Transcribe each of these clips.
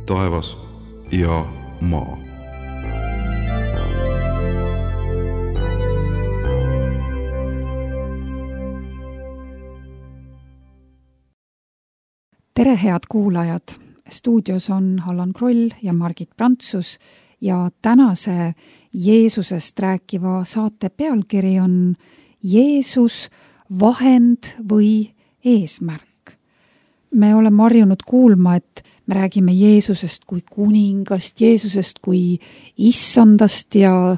taevas ja maa. Tere, head kuulajad! Stuudios on Allan Kroll ja Margit Prantsus ja tänase Jeesusest rääkiva saate pealkiri on Jeesus, vahend või eesmärk. Me oleme harjunud kuulma, et me räägime Jeesusest kui kuningast, Jeesusest kui issandast ja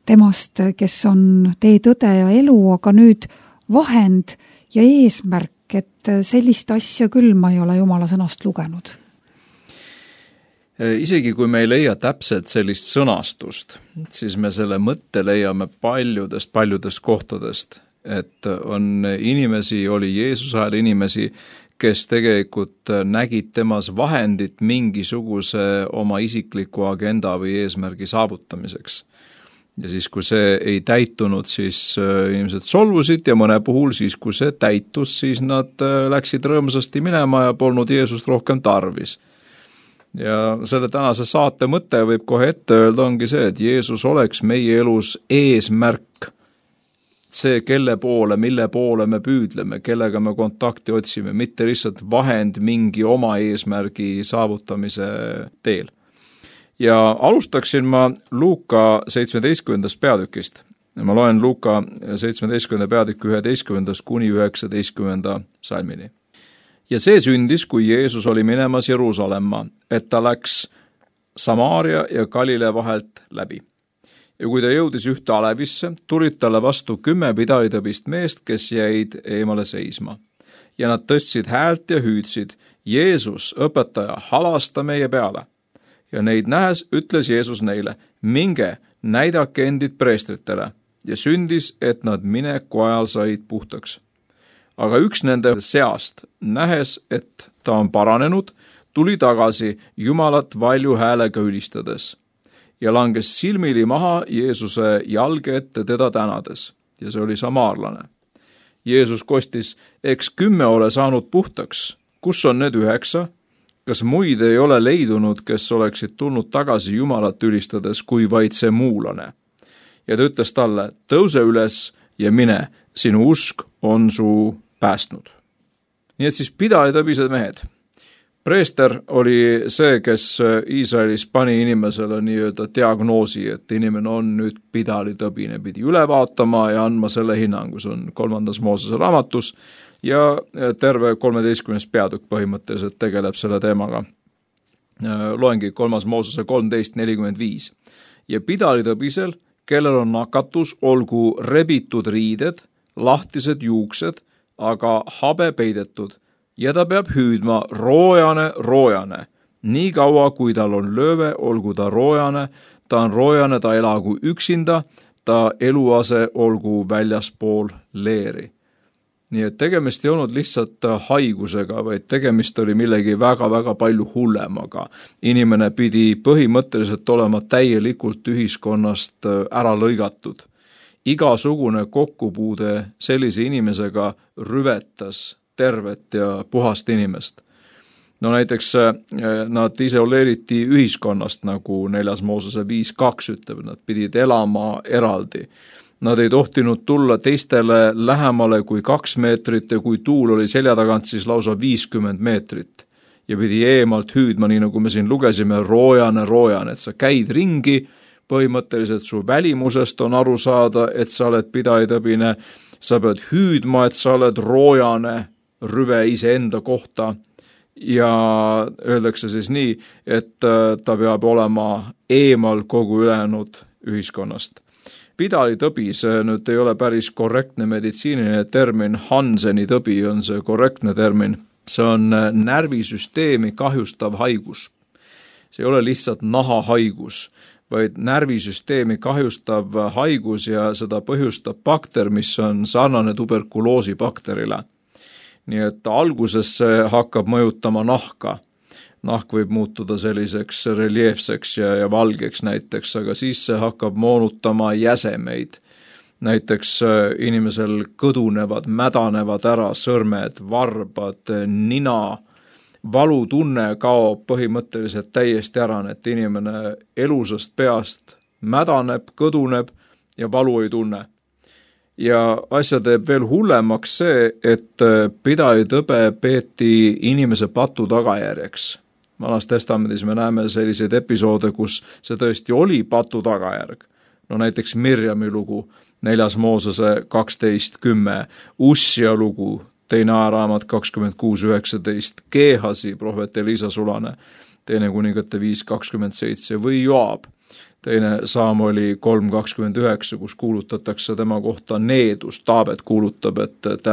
temast, kes on tee, tõde ja elu, aga nüüd vahend ja eesmärk, et sellist asja küll ma ei ole Jumala sõnast lugenud. Isegi kui me ei leia täpselt sellist sõnastust, siis me selle mõtte leiame paljudest kohtadest, et on inimesi, oli Jeesuse ajal inimesi, kes tegelikult nägid temas vahendit mingisuguse oma isikliku agenda või eesmärgi saavutamiseks. Ja siis, kui see ei täitunud, siis inimesed solvusid ja mõne puhul siis, kui see täitus, siis nad läksid rõõmsasti minema ja polnud Jeesust rohkem tarvis. Ja selle tänase saate mõte võib kohe ette öelda ongi see, et Jeesus oleks meie elus eesmärk. See, kelle poole, mille poole me püüdleme, kellega me kontakti otsime, mitte lihtsalt vahend mingi oma eesmärgi saavutamise teel. Ja alustaksin ma Luuka 17. peatükist. Ma loen Luuka 17. peatükki 11. kuni 19. salmini. Ja see sündis, kui Jeesus oli minemas Jeruusalemma, et ta läks Samaaria ja Galilea vahelt läbi. Ja kui ta jõudis ühte alevisse, tulid talle vastu 10 pidalitõbist meest, kes jäid eemale seisma. Ja nad tõstsid häält ja hüüdsid, Jeesus, õpetaja, halasta meie peale. Ja neid nähes ütles Jeesus neile, minge, näidake endid preestritele. Ja sündis, et nad mineku ajal said puhtaks. Aga üks nende seast, nähes, et ta on paranenud, tuli tagasi Jumalat valju häälega ülistades. Ja langes silmili maha Jeesuse jalge ette teda tänades. Ja see oli samaarlane. Jeesus kostis, eks 10 ole saanud puhtaks. Kus on need 9? Kas muid ei ole leidunud, kes oleksid tulnud tagasi Jumalat ülistades, kui vaid see muulane? Ja ta ütles talle, tõuse üles ja mine, sinu usk on su päästnud. Nii et siis pidalitõbised mehed. Preester oli see, kes Iisraelis pani inimesele nii-öelda diagnoosi, et inimene on nüüd pidalitõbine, pidi üle vaatama ja andma selle hinnangu. See on 3. Moosese raamatus ja terve 13. peatükk põhimõtteliselt tegeleb selle teemaga. Loengi 3. Moosese 13:45. Ja pidalitõbisel, kellel on nakatus, olgu rebitud riided, lahtised juuksed, aga habe peidetud. Ja ta peab hüüdma roojane. Nii kaua, kui tal on lööve, olgu ta roojane, ta elagu üksinda, ta eluase olgu väljaspool leeri. Nii et tegemist ei olnud lihtsalt haigusega, vaid tegemist oli millegi väga palju hullemaga. Inimene pidi põhimõtteliselt olema täielikult ühiskonnast ära lõigatud. Igasugune kokkupuude sellise inimesega rüvetas tervet ja puhast inimest. No näiteks nad isoleeriti ühiskonnast, nagu 4. Moosese 5:2 ütleb, nad pidid elama eraldi. Nad ei tohtinud tulla teistele lähemale kui 2 meetrit ja kui tuul oli selja tagant, siis lausa 50 meetrit. Ja pidi eemalt hüüdma, nii nagu me siin lugesime, roojane, et sa käid ringi, põhimõtteliselt su välimusest on aru saada, et sa oled pidalitõbine, sa pead hüüdma, et sa oled roojane, rüve iseenda kohta ja öeldakse siis nii, et ta peab olema eemal kogu ülejäänud ühiskonnast. Pidalitõbi, see nüüd ei ole päris korrektne meditsiiniline termin, Hanseni tõbi on see korrektne termin. See on närvisüsteemi kahjustav haigus. See ei ole lihtsalt nahahaigus, vaid närvisüsteemi kahjustav haigus ja seda põhjustab bakter, mis on sarnane tuberkuloosibakterile. Nii et alguses see hakkab mõjutama nahka. Nahk võib muutuda selliseks reljeefseks ja valgeks näiteks, aga siis see hakkab moonutama jäsemeid. Näiteks inimesel kõdunevad, mädanevad ära sõrmed, varbad, nina, valutunne kaob põhimõtteliselt täiesti ära, et inimene elusast peast mädaneb, kõduneb ja valu ei tunne. Ja asja teeb veel hullemaks see, et pidalitõbe peeti inimese patu tagajärjeks. Vanas testamendis me näeme selliseid episoode, kus see tõesti oli patu tagajärg. No näiteks Mirjami lugu, 4. Moosese 12.10, Ussia lugu, 2. ajaraamat 26.19, Geehasi, prohvet Elisa sulane, 2. kuningate 5.27 või Joab, 2. Saamoli 3.29, kus kuulutatakse tema kohta needus. Taavet kuulutab, et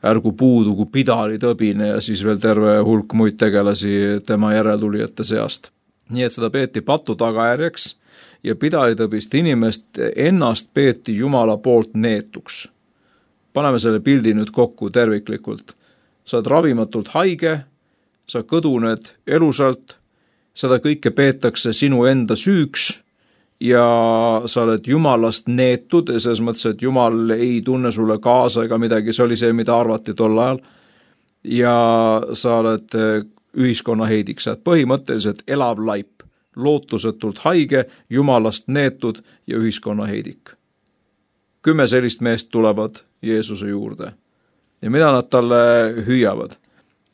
ärgu puudugu pidalitõbine ja siis veel terve hulk muid tegelasi tema järeltulijate seast. Nii et seda peeti patu tagajärjeks ja pidalitõbist inimest ennast peeti Jumala poolt neetuks. Paneme selle pildi nüüd kokku terviklikult. Sa oled ravimatult haige, sa kõduned elusalt, seda kõike peetakse sinu enda süüks ja sa oled Jumalast neetud, selles mõttes, et Jumal ei tunne sulle kaasa ega midagi, see oli see, mida arvati tol ajal. Ja sa oled ühiskonna heidik, sa oled põhimõtteliselt elav laip, lootusetult haige, Jumalast neetud ja ühiskonna heidik. 10 sellist meest tulevad Jeesuse juurde. Ja mida nad talle hüüavad?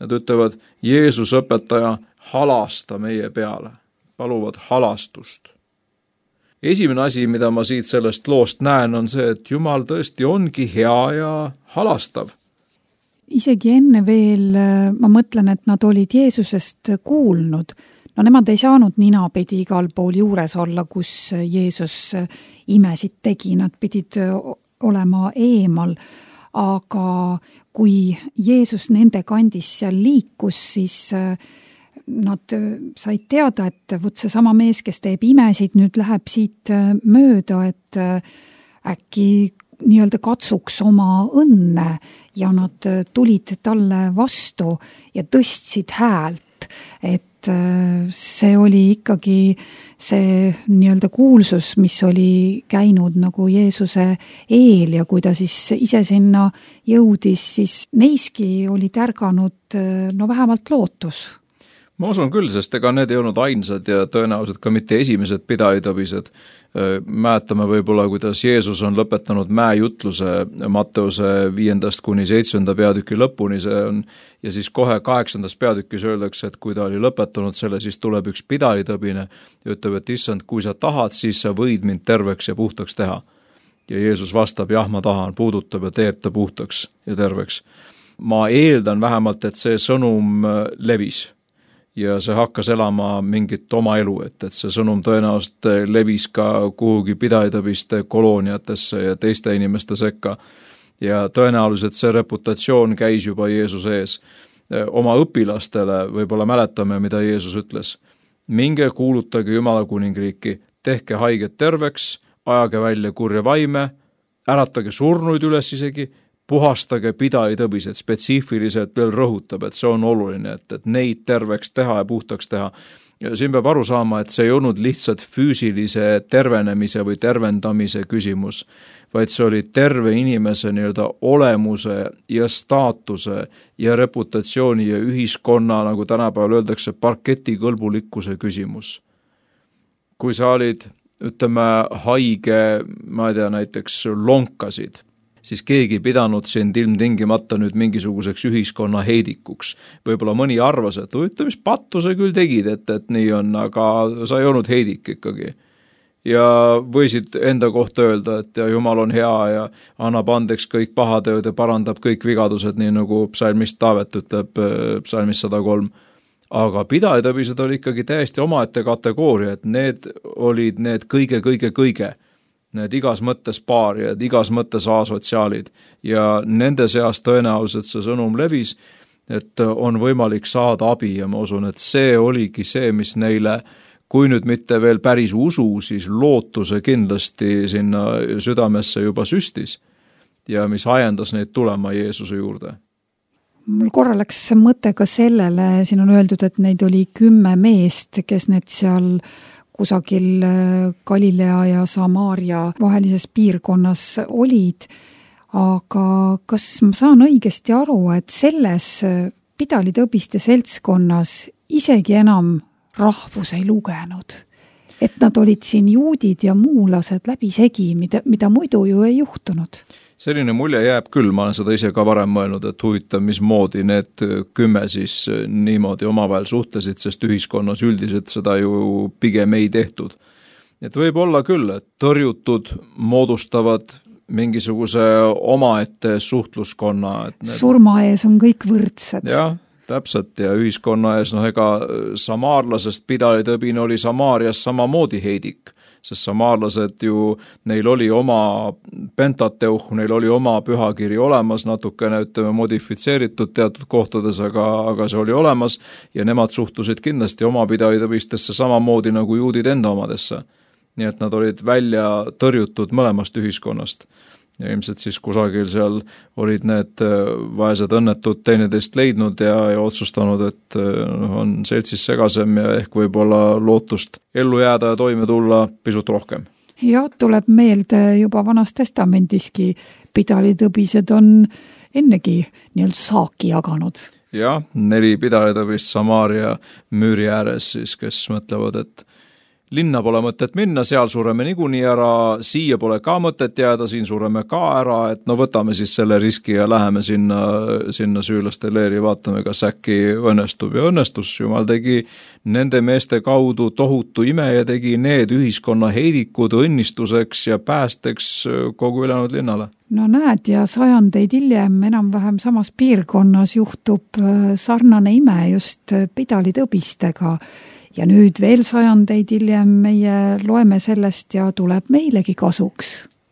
Nad ütlevad, Jeesus õpetaja, halasta meie peale, paluvad halastust. Esimene asi, mida ma siit sellest loost näen, on see, et Jumal tõesti ongi hea ja halastav. Isegi enne veel ma mõtlen, et nad olid Jeesusest kuulnud. No nemad ei saanud ninapidi igal pool juures olla, kus Jeesus imesid tegi, nad pidid olema eemal. Aga kui Jeesus nende kandis seal liikus, siis nad said teada, et võt see sama mees, kes teeb imesid, nüüd läheb siit mööda, et äkki nii-öelda katsuks oma õnne ja nad tulid talle vastu ja tõstsid häält, et see oli ikkagi see nii-öelda kuulsus, mis oli käinud nagu Jeesuse eel ja kui ta siis ise sinna jõudis, siis neiski oli tärganud no vähemalt lootus. Ma usun küll, sest ega need ei olnud ainsad ja tõenäoliselt ka mitte esimesed pidalitõbised. Mäletame võib-olla, kuidas Jeesus on lõpetanud mäejutluse Matteuse 5.–7. peatüki lõpuni, see on, ja siis kohe 8. peatükis öeldakse, et kui ta oli lõpetanud selle, siis tuleb üks pidalitõbine ja ütleb, et issand, kui sa tahad, siis sa võid mind terveks ja puhtaks teha. Ja Jeesus vastab, jah, ma tahan, puudutab ja teeb ta puhtaks ja terveks. Ma eeldan vähemalt, et see sõnum levis. Ja see hakkas elama mingit oma elu, et see sõnum tõenäoliselt levis ka kuhugi pidalitõbiste kolooniatesse ja teiste inimeste sekka. Ja tõenäoliselt see reputatsioon käis juba Jeesuse ees. Oma õpilastele võib-olla mäletame, mida Jeesus ütles. Minge kuulutage Jumala kuningriiki, tehke haiget terveks, ajage välja kurja vaime, äratage surnuid üles isegi, puhastage pidalitõbised, spetsiifiliselt veel rõhutab, et see on oluline, et neid terveks teha ja puhtaks teha. Ja siin peab aru saama, et see ei olnud lihtsalt füüsilise tervenemise või tervendamise küsimus, vaid see oli terve inimese nii-öelda olemuse ja staatuse ja reputatsiooni ja ühiskonna, nagu tänapäeval öeldakse, parketikõlbulikkuse küsimus. Kui sa olid, ütleme, haige, ma ei tea, näiteks lonkasid, siis keegi pidanud sind ilmtingimata nüüd mingisuguseks ühiskonna heidikuks. Võib-olla mõni arvas, et mis pattu sa küll tegid, et nii on, aga sa ei olnud heidik ikkagi. Ja võisid enda kohta öelda, et Jumal on hea ja annab andeks kõik pahatööd ja parandab kõik vigadused, nii nagu psalmist Taavet ütleb psalmist 103. Aga pidalitõbised oli ikkagi täiesti omaette kategooria, et need olid need kõige. Need igas mõttes paarijad, igas mõttes asotsiaalid ja nende seas tõenäoliselt see sõnum levis, et on võimalik saada abi ja ma usun, et see oligi see, mis neile, kui nüüd mitte veel päris usu, siis lootuse kindlasti sinna südamesse juba süstis ja mis ajendas neid tulema Jeesuse juurde. Mul korra läks mõte ka sellele, siin on öeldud, et neid oli 10 meest, kes need seal kusagil Galilea ja Samaaria vahelises piirkonnas olid, aga kas ma saan õigesti aru, et selles pidalitõbiste seltskonnas isegi enam rahvus ei lugenud. Et nad olid siin juudid ja muulased läbisegi, mida muidu ju ei juhtunud. Selline mulje jääb küll, ma olen seda ise ka varem mõelnud, et huvitav, mismoodi need 10 siis niimoodi omavahel suhtlesid, sest ühiskonnas üldiselt seda ju pigem ei tehtud. Et võib olla küll, et tõrjutud moodustavad mingisuguse omaette suhtluskonna. Surma ees on kõik võrdsed. Jah, täpselt, ja ühiskonna ees, ega samaarlasest pidalitõbine oli Samaarias samamoodi heidik, sest samaarlased ju, neil oli oma pentateuh, neil oli oma pühakiri olemas, natukene modifitseeritud teatud kohtades, aga see oli olemas ja nemad suhtusid kindlasti oma pidalitõbistesse samamoodi nagu juudid enda omadesse. Nii et nad olid välja tõrjutud mõlemast ühiskonnast. Ja ilmselt siis kusagil seal olid need vaesed õnnetud teineteist leidnud ja otsustanud, et on seltsis segasem ja ehk võib-olla lootust ellu jääda ja toime tulla pisut rohkem. Ja tuleb meelde juba Vanas Testamendiski pidalitõbised on ennegi saaki jaganud. Jah, 4 pidalitõbist Samaaria müüri ääres siis, kes mõtlevad, et linna pole mõtet minna, seal sureme niikuinii ära, siia pole ka mõtet jääda, siin sureme ka ära, et võtame siis selle riski ja läheme sinna süürlaste leeri, vaatame, kas äkki õnnestub. Ja õnnestus, Jumal tegi nende meeste kaudu tohutu ime ja tegi need ühiskonna heidikud õnnistuseks ja päästeks kogu ülejäänud linnale. No näed, ja sajandeid hiljem enam-vähem samas piirkonnas juhtub sarnane ime just pidalitõbistega. Ja nüüd veel sajandeid hiljem meie loeme sellest ja tuleb meilegi kasuks.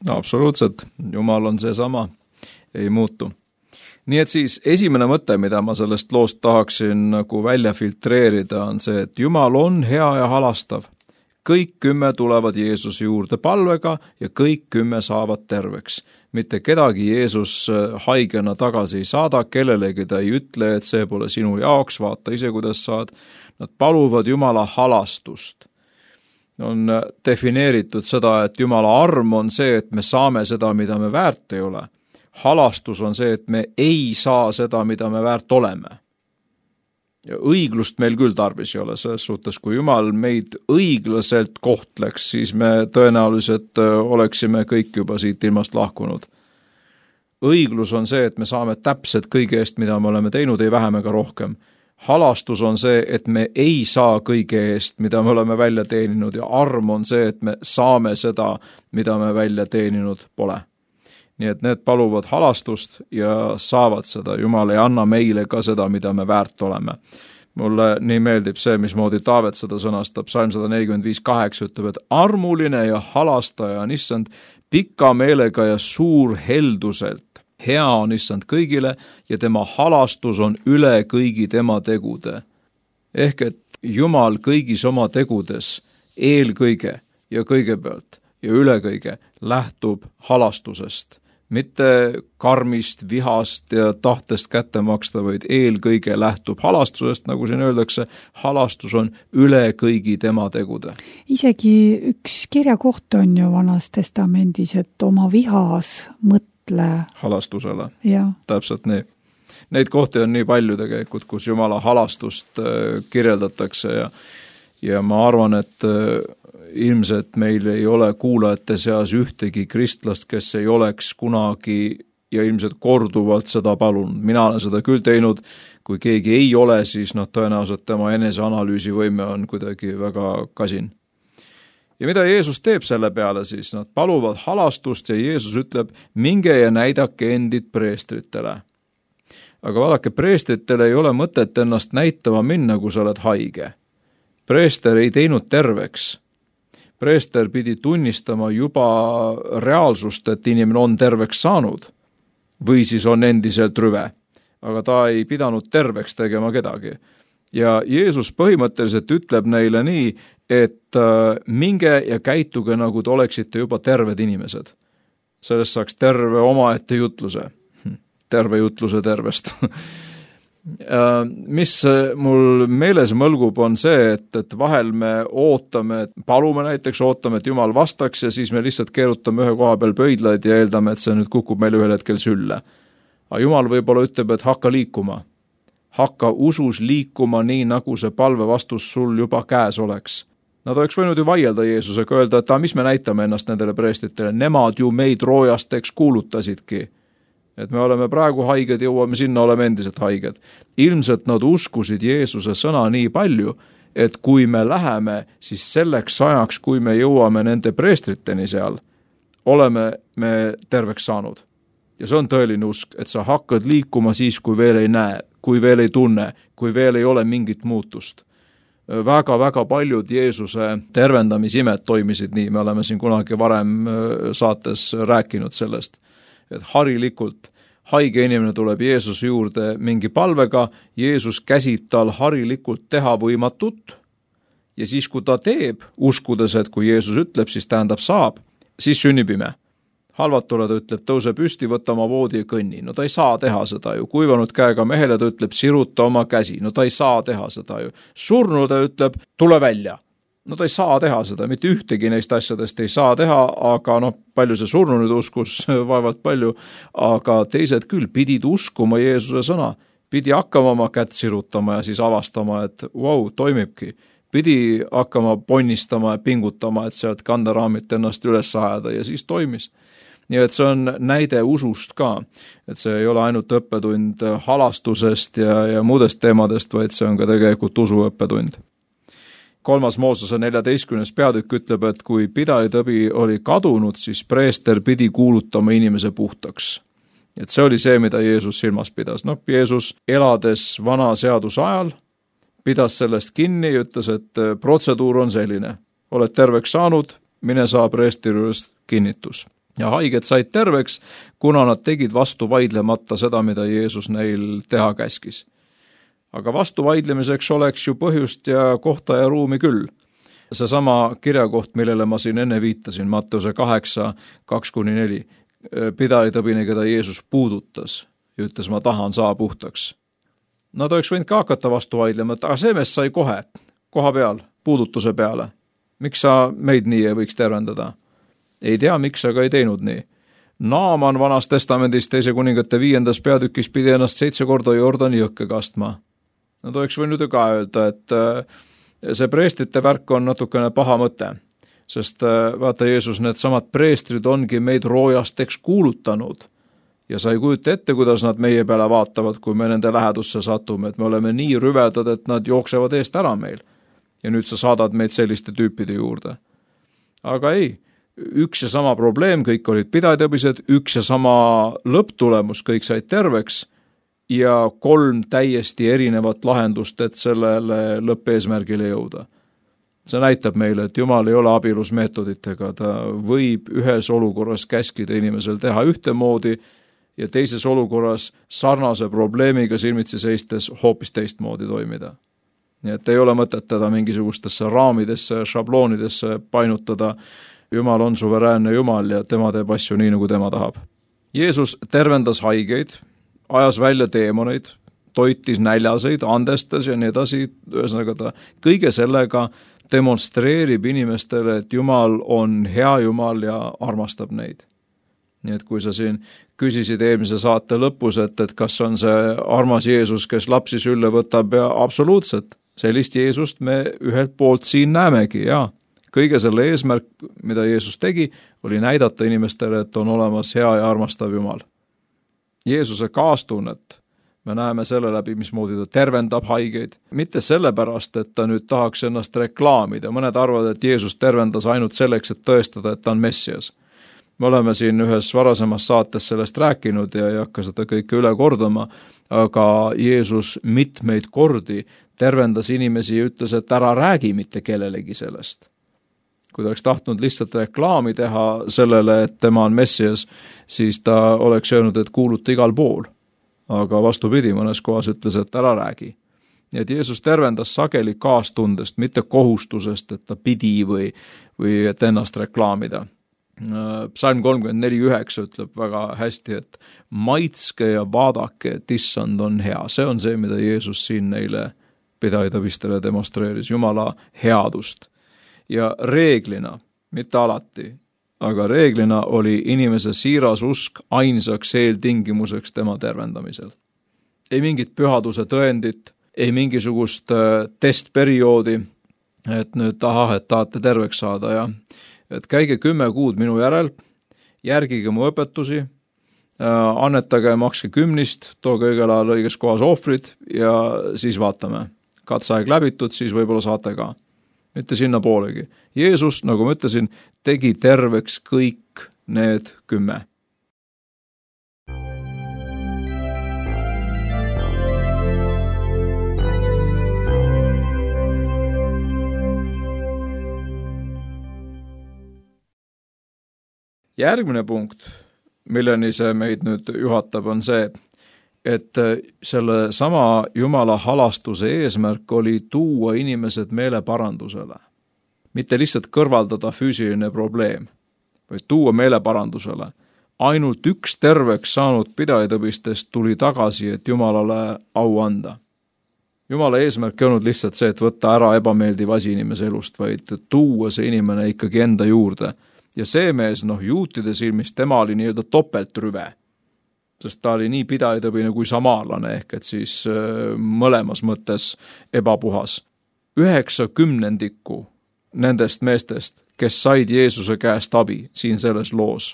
Absoluutselt. Jumal on seesama. Ei muutu. Nii et siis esimene mõte, mida ma sellest loost tahaksin nagu välja filtreerida, on see, et Jumal on hea ja halastav. Kõik 10 tulevad Jeesuse juurde palvega ja kõik 10 saavad terveks. Mitte kedagi Jeesus haigena tagasi ei saada, kellelegi ta ei ütle, et see pole sinu jaoks, vaata ise, kuidas saad. Nad paluvad Jumala halastust. On defineeritud seda, et Jumala arm on see, et me saame seda, mida me väärt ei ole. Halastus on see, et me ei saa seda, mida me väärt oleme. Ja õiglust meil küll tarvis ei ole, selles suhtes, kui Jumal meid õiglaselt kohtleks, siis me tõenäoliselt oleksime kõik juba siit ilmast lahkunud. Õiglus on see, et me saame täpselt kõige eest, mida me oleme teinud, ei vähem ega rohkem. Halastus on see, et me ei saa kõige eest, mida me oleme välja teeninud, ja arm on see, et me saame seda, mida me välja teeninud pole. Nii et need paluvad halastust ja saavad seda. Jumal ei anna meile ka seda, mida me väärt oleme. Mulle nii meeldib see, mismoodi Taavet seda sõnastab. Psalm 145:8 ütleb, et armuline ja halastaja on issand pika meelega ja suur helduselt. Hea on issand kõigile ja tema halastus on üle kõigi tema tegude. Ehk et Jumal kõigis oma tegudes eelkõige ja kõigepealt ja üle kõige lähtub halastusest. Mitte karmist, vihast ja tahtest kätte maksta, vaid eelkõige lähtub halastusest, nagu siin öeldakse, halastus on üle kõigi tema tegude. Isegi üks kirjakoht on ju Vanas Testamendis, et oma vihas mõtle halastusele. Ja. Täpselt nii. Neid kohti on nii palju tegelikult, kus Jumala halastust kirjeldatakse ja ma arvan, et ilmselt meil ei ole kuulajate seas ühtegi kristlast, kes ei oleks kunagi ja ilmselt korduvalt seda palunud. Mina olen seda küll teinud, kui keegi ei ole, siis tõenäoliselt tema eneseanalüüsi võime on kuidagi väga kasin. Ja mida Jeesus teeb selle peale siis? Nad paluvad halastust ja Jeesus ütleb, minge ja näidake endid preestritele. Aga vaadake, preestritele ei ole mõtet ennast näitama minna, kui sa oled haige. Preester ei teinud terveks. Preester pidi tunnistama juba reaalsust, et inimene on terveks saanud või siis on endiselt rüve, aga ta ei pidanud terveks tegema kedagi. Ja Jeesus põhimõtteliselt ütleb neile nii, et minge ja käituge, nagu te oleksite juba terved inimesed. Sellest saaks terve omaette jutluse. Terve jutluse tervest. Mis mul meeles mõlgub on see, et vahel me ootame, palume näiteks, ootame, et Jumal vastaks ja siis me lihtsalt keerutame ühe koha peal pöidlaid ja eeldame, et see nüüd kukub meil ühel hetkel sülle. Aga Jumal võib-olla ütleb, et hakka liikuma. hakka usus liikuma nii, nagu see palvevastus sul juba käes oleks. Nad oleks võinud ju vaielda Jeesusega, öelda, et mis me näitame ennast nendele preestritele, nemad ju meid roojasteks kuulutasidki. Et me oleme praegu haiged, jõuame sinna, oleme endiselt haiged. Ilmselt nad uskusid Jeesuse sõna nii palju, et kui me läheme, siis selleks ajaks, kui me jõuame nende preestriteni seal, oleme me terveks saanud. Ja see on tõeline usk, et sa hakkad liikuma siis, kui veel ei näe, kui veel ei tunne, kui veel ei ole mingit muutust. Väga-väga paljud Jeesuse tervendamisimed toimisid nii, me oleme siin kunagi varem saates rääkinud sellest, et harilikult haige inimene tuleb Jeesuse juurde mingi palvega, Jeesus käsib tal harilikult teha võimatut ja siis, kui ta teeb, uskudes, et kui Jeesus ütleb, siis tähendab saab, siis sünnib ime. Halvatule ta ütleb, tõuse püsti, võtta oma voodi ja kõnni. No ta ei saa teha seda ju. Kuivanud käega mehele ta ütleb, siruta oma käsi. No ta ei saa teha seda ju. Surnu ta ütleb, tule välja. No ta ei saa teha seda, mitte ühtegi neist asjadest ei saa teha, aga palju see surnu nüüd uskus, vaevalt palju, aga teised küll pidid uskuma Jeesuse sõna, pidi hakkama oma kätt sirutama ja siis avastama, et toimibki. Pidi hakkama ponnistama ja pingutama, et sealt kanderaamit ennast üles ajada ja siis toimis. Nii et see on näide usust ka, et see ei ole ainult õppetund halastusest ja muudest teemadest, vaid see on ka tegelikult usuõppetund. 3. Moosese 14. peatükk ütleb, et kui pidalitõbi oli kadunud, siis preester pidi kuulutama inimese puhtaks. Et see oli see, mida Jeesus silmas pidas. Jeesus elades vana seaduse ajal pidas sellest kinni ja ütles, et protseduur on selline. Oled terveks saanud, mine saa preestri juures kinnitus. Ja haiged said terveks, kuna nad tegid vastu vaidlemata seda, mida Jeesus neil teha käskis. Aga vastu vaidlemiseks oleks ju põhjust ja kohta ja ruumi küll. Seesama kirjakoht, millele ma siin enne viitasin, Matteuse 8, 2-4, pidalitõbine, keda Jeesus puudutas ja ütles, ma tahan saa puhtaks. Nad oleks võinud ka hakata vastu vaidlema, aga see mees sai koha peal, puudutuse peale. Miks sa meid nii ei võiks tervendada? Ei tea, miks aga ei teinud nii. Naaman Vanas Testamendis 2. kuningate 5. peatükis pidi ennast 7 korda Jordani jõkke kastma. Nad oleks võinud ju ka öelda, et see preestrite värk on natukene paha mõte, sest vaata Jeesus, need samad preestrid ongi meid roojasteks kuulutanud ja sa ei kujuta ette, kuidas nad meie peale vaatavad, kui me nende lähedusse satume, et me oleme nii rüvedad, et nad jooksevad eest ära meil ja nüüd sa saadad meid selliste tüüpide juurde. Aga ei, üks ja sama probleem, kõik olid pidalitõbised, üks ja sama lõpptulemus, kõik said terveks ja 3 täiesti erinevat lahendust, et sellele lõppeesmärgile jõuda. See näitab meile, et Jumal ei ole abielus meetoditega, ta võib ühes olukorras käskida inimesel teha ühtemoodi ja teises olukorras sarnase probleemiga silmitsi seistes hoopis teistmoodi toimida. Nii et ei ole mõtet teda mingisugustesse raamidesse, šabloonidesse painutada. Jumal on suveräänne Jumal ja tema teeb asju nii, nagu tema tahab. Jeesus tervendas haigeid, ajas välja teemoneid, toitis näljaseid, andestas ja nii edasi. Ühesõnaga ta kõige sellega demonstreerib inimestele, et Jumal on hea Jumal ja armastab neid. Nii et kui sa siin küsisid eelmise saate lõpus, et kas on see armas Jeesus, kes lapsi sülle võtab ja absoluutselt, sellist Jeesust me ühelt poolt siin näemegi, jaa. Kõige selle eesmärk, mida Jeesus tegi, oli näidata inimestele, et on olemas hea ja armastav Jumal. Jeesuse kaastunnet me näeme selle läbi, mismoodi ta tervendab haigeid. Mitte sellepärast, et ta nüüd tahaks ennast reklaamida. Mõned arvavad, et Jeesus tervendas ainult selleks, et tõestada, et ta on Messias. Me oleme siin ühes varasemas saates sellest rääkinud ja ei hakka seda kõike üle kordama, aga Jeesus mitmeid kordi tervendas inimesi ja ütles, et ära räägi mitte kellelegi sellest. Kui ta oleks tahtnud lihtsalt reklaami teha sellele, et tema on Messias, siis ta oleks öelnud, et kuuluta igal pool. Aga vastupidi, mõnes kohas ütles, et ära räägi. Nii et Jeesus tervendas sageli kaastundest, mitte kohustusest, et ta pidi või et ennast reklaamida. Psalm 34:9 ütleb väga hästi, et maitske ja vaadake, et issand on hea. See on see, mida Jeesus siin neile pidalitõbistele demonstreeris, Jumala headust. Ja reeglina, mitte alati, aga reeglina oli inimese siiras usk ainsaks eeltingimuseks tema tervendamisel. ei mingit pühaduse tõendit, ei mingisugust testperioodi, et nüüd et tahate terveks saada ja et käige 10 kuud minu järel, järgige mu õpetusi, annetage, makske 10, tooge õigel ajal õiges kohas ohvrid ja siis vaatame. Katseaeg läbitud, siis võib-olla saate ka. Mitte sinna poolegi. Jeesus, nagu ma ütlesin, tegi terveks kõik need 10. Järgmine punkt, milleni see meid nüüd juhatab, on see, et selle sama Jumala halastuse eesmärk oli tuua inimesed meeleparandusele. Mitte lihtsalt kõrvaldada füüsiline probleem, vaid tuua meeleparandusele. Ainult üks terveks saanud pidajaõpistest tuli tagasi, et Jumalale au anda. Jumala eesmärk ei olnud lihtsalt see, et võtta ära ebameeldiv asi inimese elust, vaid tuua see inimene ikkagi enda juurde. Ja see mees, juutide silmis, tema oli nii-öelda topeltrüve, sest ta oli nii pidajaõpine kui samaarlane, ehk et siis mõlemas mõttes ebapuhas. 90% nendest meestest, kes said Jeesuse käest abi siin selles loos,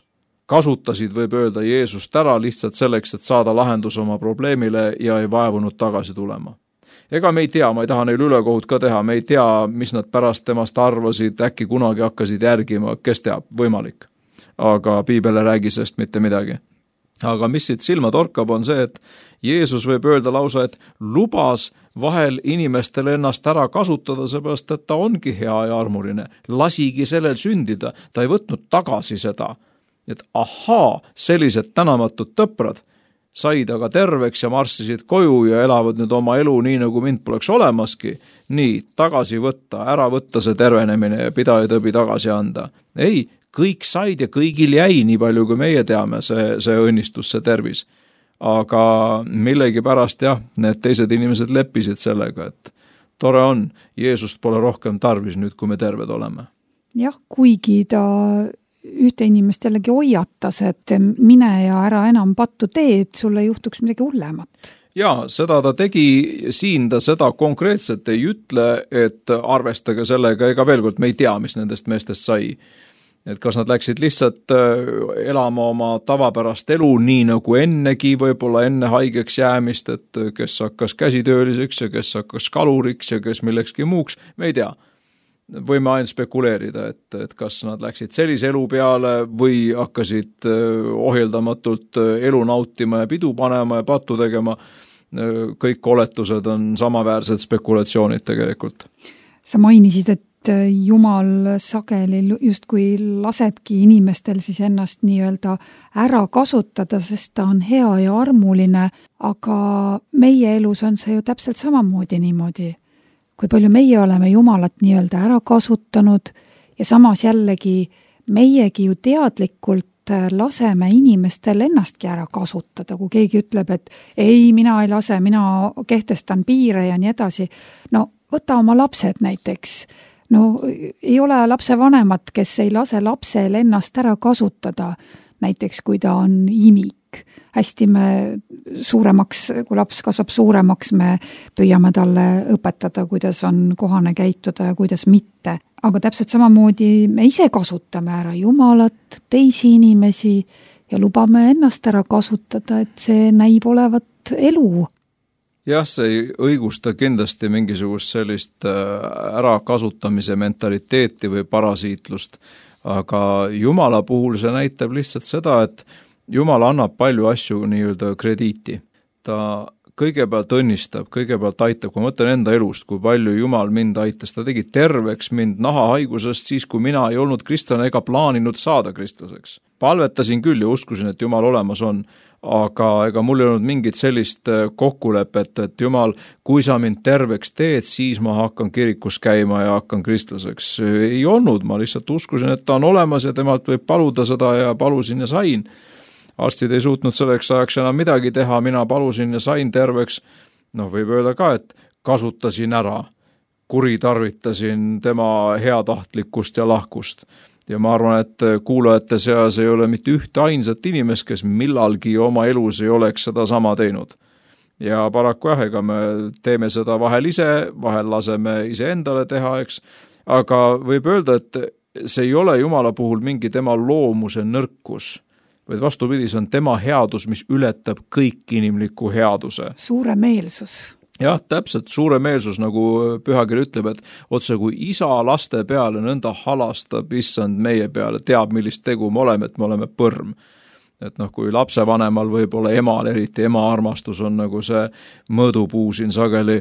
kasutasid, võib öelda, Jeesust ära lihtsalt selleks, et saada lahendus oma probleemile ja ei vaevunud tagasi tulema. Ega me ei tea, ma ei taha neil ülekohut ka teha, me ei tea, mis nad pärast temast arvasid, äkki kunagi hakkasid järgima, kes teab, võimalik. Aga piibel ei räägi sellest mitte midagi. Aga mis siit silma torkab on see, et Jeesus võib öelda lausa, et lubas vahel inimestele ennast ära kasutada, seepärast, et ta ongi hea ja armuline. Lasigi sellel sündida, ta ei võtnud tagasi seda. Et sellised tänamatud tõprad said aga terveks ja marssisid koju ja elavad nüüd oma elu nii, nagu mind poleks olemaski. Nii, tagasi võtta, ära võtta see tervenemine ja pidajaõpi tagasi anda. Ei, kõik said ja kõigil jäi, nii palju kui meie teame, see õnnistus, see tervis. Aga millegi pärast need teised inimesed leppisid sellega, et tore on, Jeesust pole rohkem tarvis nüüd, kui me terved oleme. Jah, kuigi ta ühte inimest jällegi hoiatas, et mine ja ära enam pattu tee, et sulle juhtuks midagi hullemat. Jaa, seda ta tegi, siin ta seda konkreetselt ei ütle, et arvestage sellega, ega veel kord me ei tea, mis nendest meestest sai. Et kas nad läksid lihtsalt elama oma tavapärast elu nii nagu ennegi, võib-olla enne haigeks jäämist, et kes hakkas käsitööliseks ja kes hakkas kaluriks ja kes millekski muuks, me ei tea. Võime ainult spekuleerida, et kas nad läksid sellise elu peale või hakkasid ohjeldamatult elu nautima ja pidu panema ja pattu tegema. Kõik oletused on samaväärsed spekulatsioonid tegelikult. Sa mainisid, et Jumal sageli justkui lasebki inimestel siis ennast nii-öelda ära kasutada, sest ta on hea ja armuline, aga meie elus on see ju täpselt samamoodi niimoodi. Kui palju meie oleme Jumalat nii-öelda ära kasutanud ja samas jällegi meiegi ju teadlikult laseme inimestel ennastki ära kasutada, kui keegi ütleb, et ei, mina ei lase, mina kehtestan piire ja nii edasi. No võta oma lapsed näiteks. No ei ole lapse vanemat, kes ei lase lapsel ennast ära kasutada, näiteks kui ta on imik. Hästi me suuremaks, kui laps kasvab suuremaks, me püüame talle õpetada, kuidas on kohane käituda ja kuidas mitte. Aga täpselt samamoodi me ise kasutame ära Jumalat, teisi inimesi ja lubame ennast ära kasutada, et see näib olevat elu. Jah, see ei õigusta kindlasti mingisugust sellist ärakasutamise mentaliteeti või parasiitlust, aga Jumala puhul see näitab lihtsalt seda, et Jumal annab palju asju nii-öelda krediiti. Ta kõigepealt õnnistab, kõigepealt aitab, kui ma mõtlen enda elust, kui palju Jumal mind aitas. Ta tegi terveks mind nahahaigusest siis, kui mina ei olnud kristlane ega plaaninud saada kristlaseks. Palvetasin küll ja uskusin, et Jumal olemas on, aga ega mul ei olnud mingit sellist kokkulepet, et Jumal, kui sa mind terveks teed, siis ma hakkan kirikus käima ja hakkan kristlaseks. Ei olnud, ma lihtsalt uskusin, et ta on olemas ja temalt võib paluda seda ja palusin ja sain. Arstid ei suutnud selleks ajaks enam midagi teha, mina palusin ja sain terveks. Võib öelda ka, et kasutasin ära, kuritarvitasin tema heatahtlikkust ja lahkust. Ja ma arvan, et kuulajate seas ei ole mitte ühte ainsat inimest, kes millalgi oma elus ei oleks seda sama teinud. ja paraku jah, ega me teeme seda vahel ise, vahel laseme iseendale teha, eks, aga võib öelda, et see ei ole Jumala puhul mingi tema loomuse nõrkus, vaid vastupidi, see on tema headus, mis ületab kõik inimliku headuse. Suuremeelsus. Jah, täpselt suuremeelsus, nagu pühakiri ütleb, et otse kui isa laste peale nõnda halastab issand meie peale, teab, millist tegu me oleme, et me oleme põrm. Et kui lapsevanemal võib-olla emal, eriti ema armastus on nagu see mõõdupuu siin sageli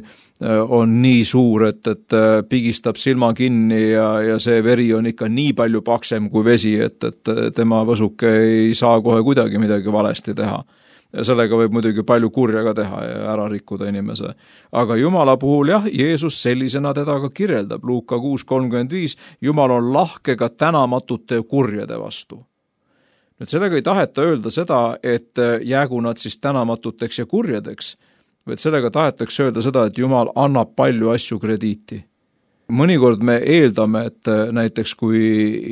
on nii suur, et pigistab silma kinni ja see veri on ikka nii palju paksem kui vesi, et tema võsuke ei saa kohe kuidagi midagi valesti teha. Ja sellega võib muidugi palju kurja ka teha ja ära rikkuda inimese. Aga Jumala puhul jah, Jeesus sellisena teda ka kirjeldab. Luuka 6:35, Jumal on lahke ka tänamatute kurjade vastu. Nüüd sellega ei taheta öelda seda, et jäägu nad siis tänamatuteks ja kurjadeks, vaid sellega tahetakse öelda seda, et Jumal annab palju asju krediiti. Mõnikord me eeldame, et näiteks kui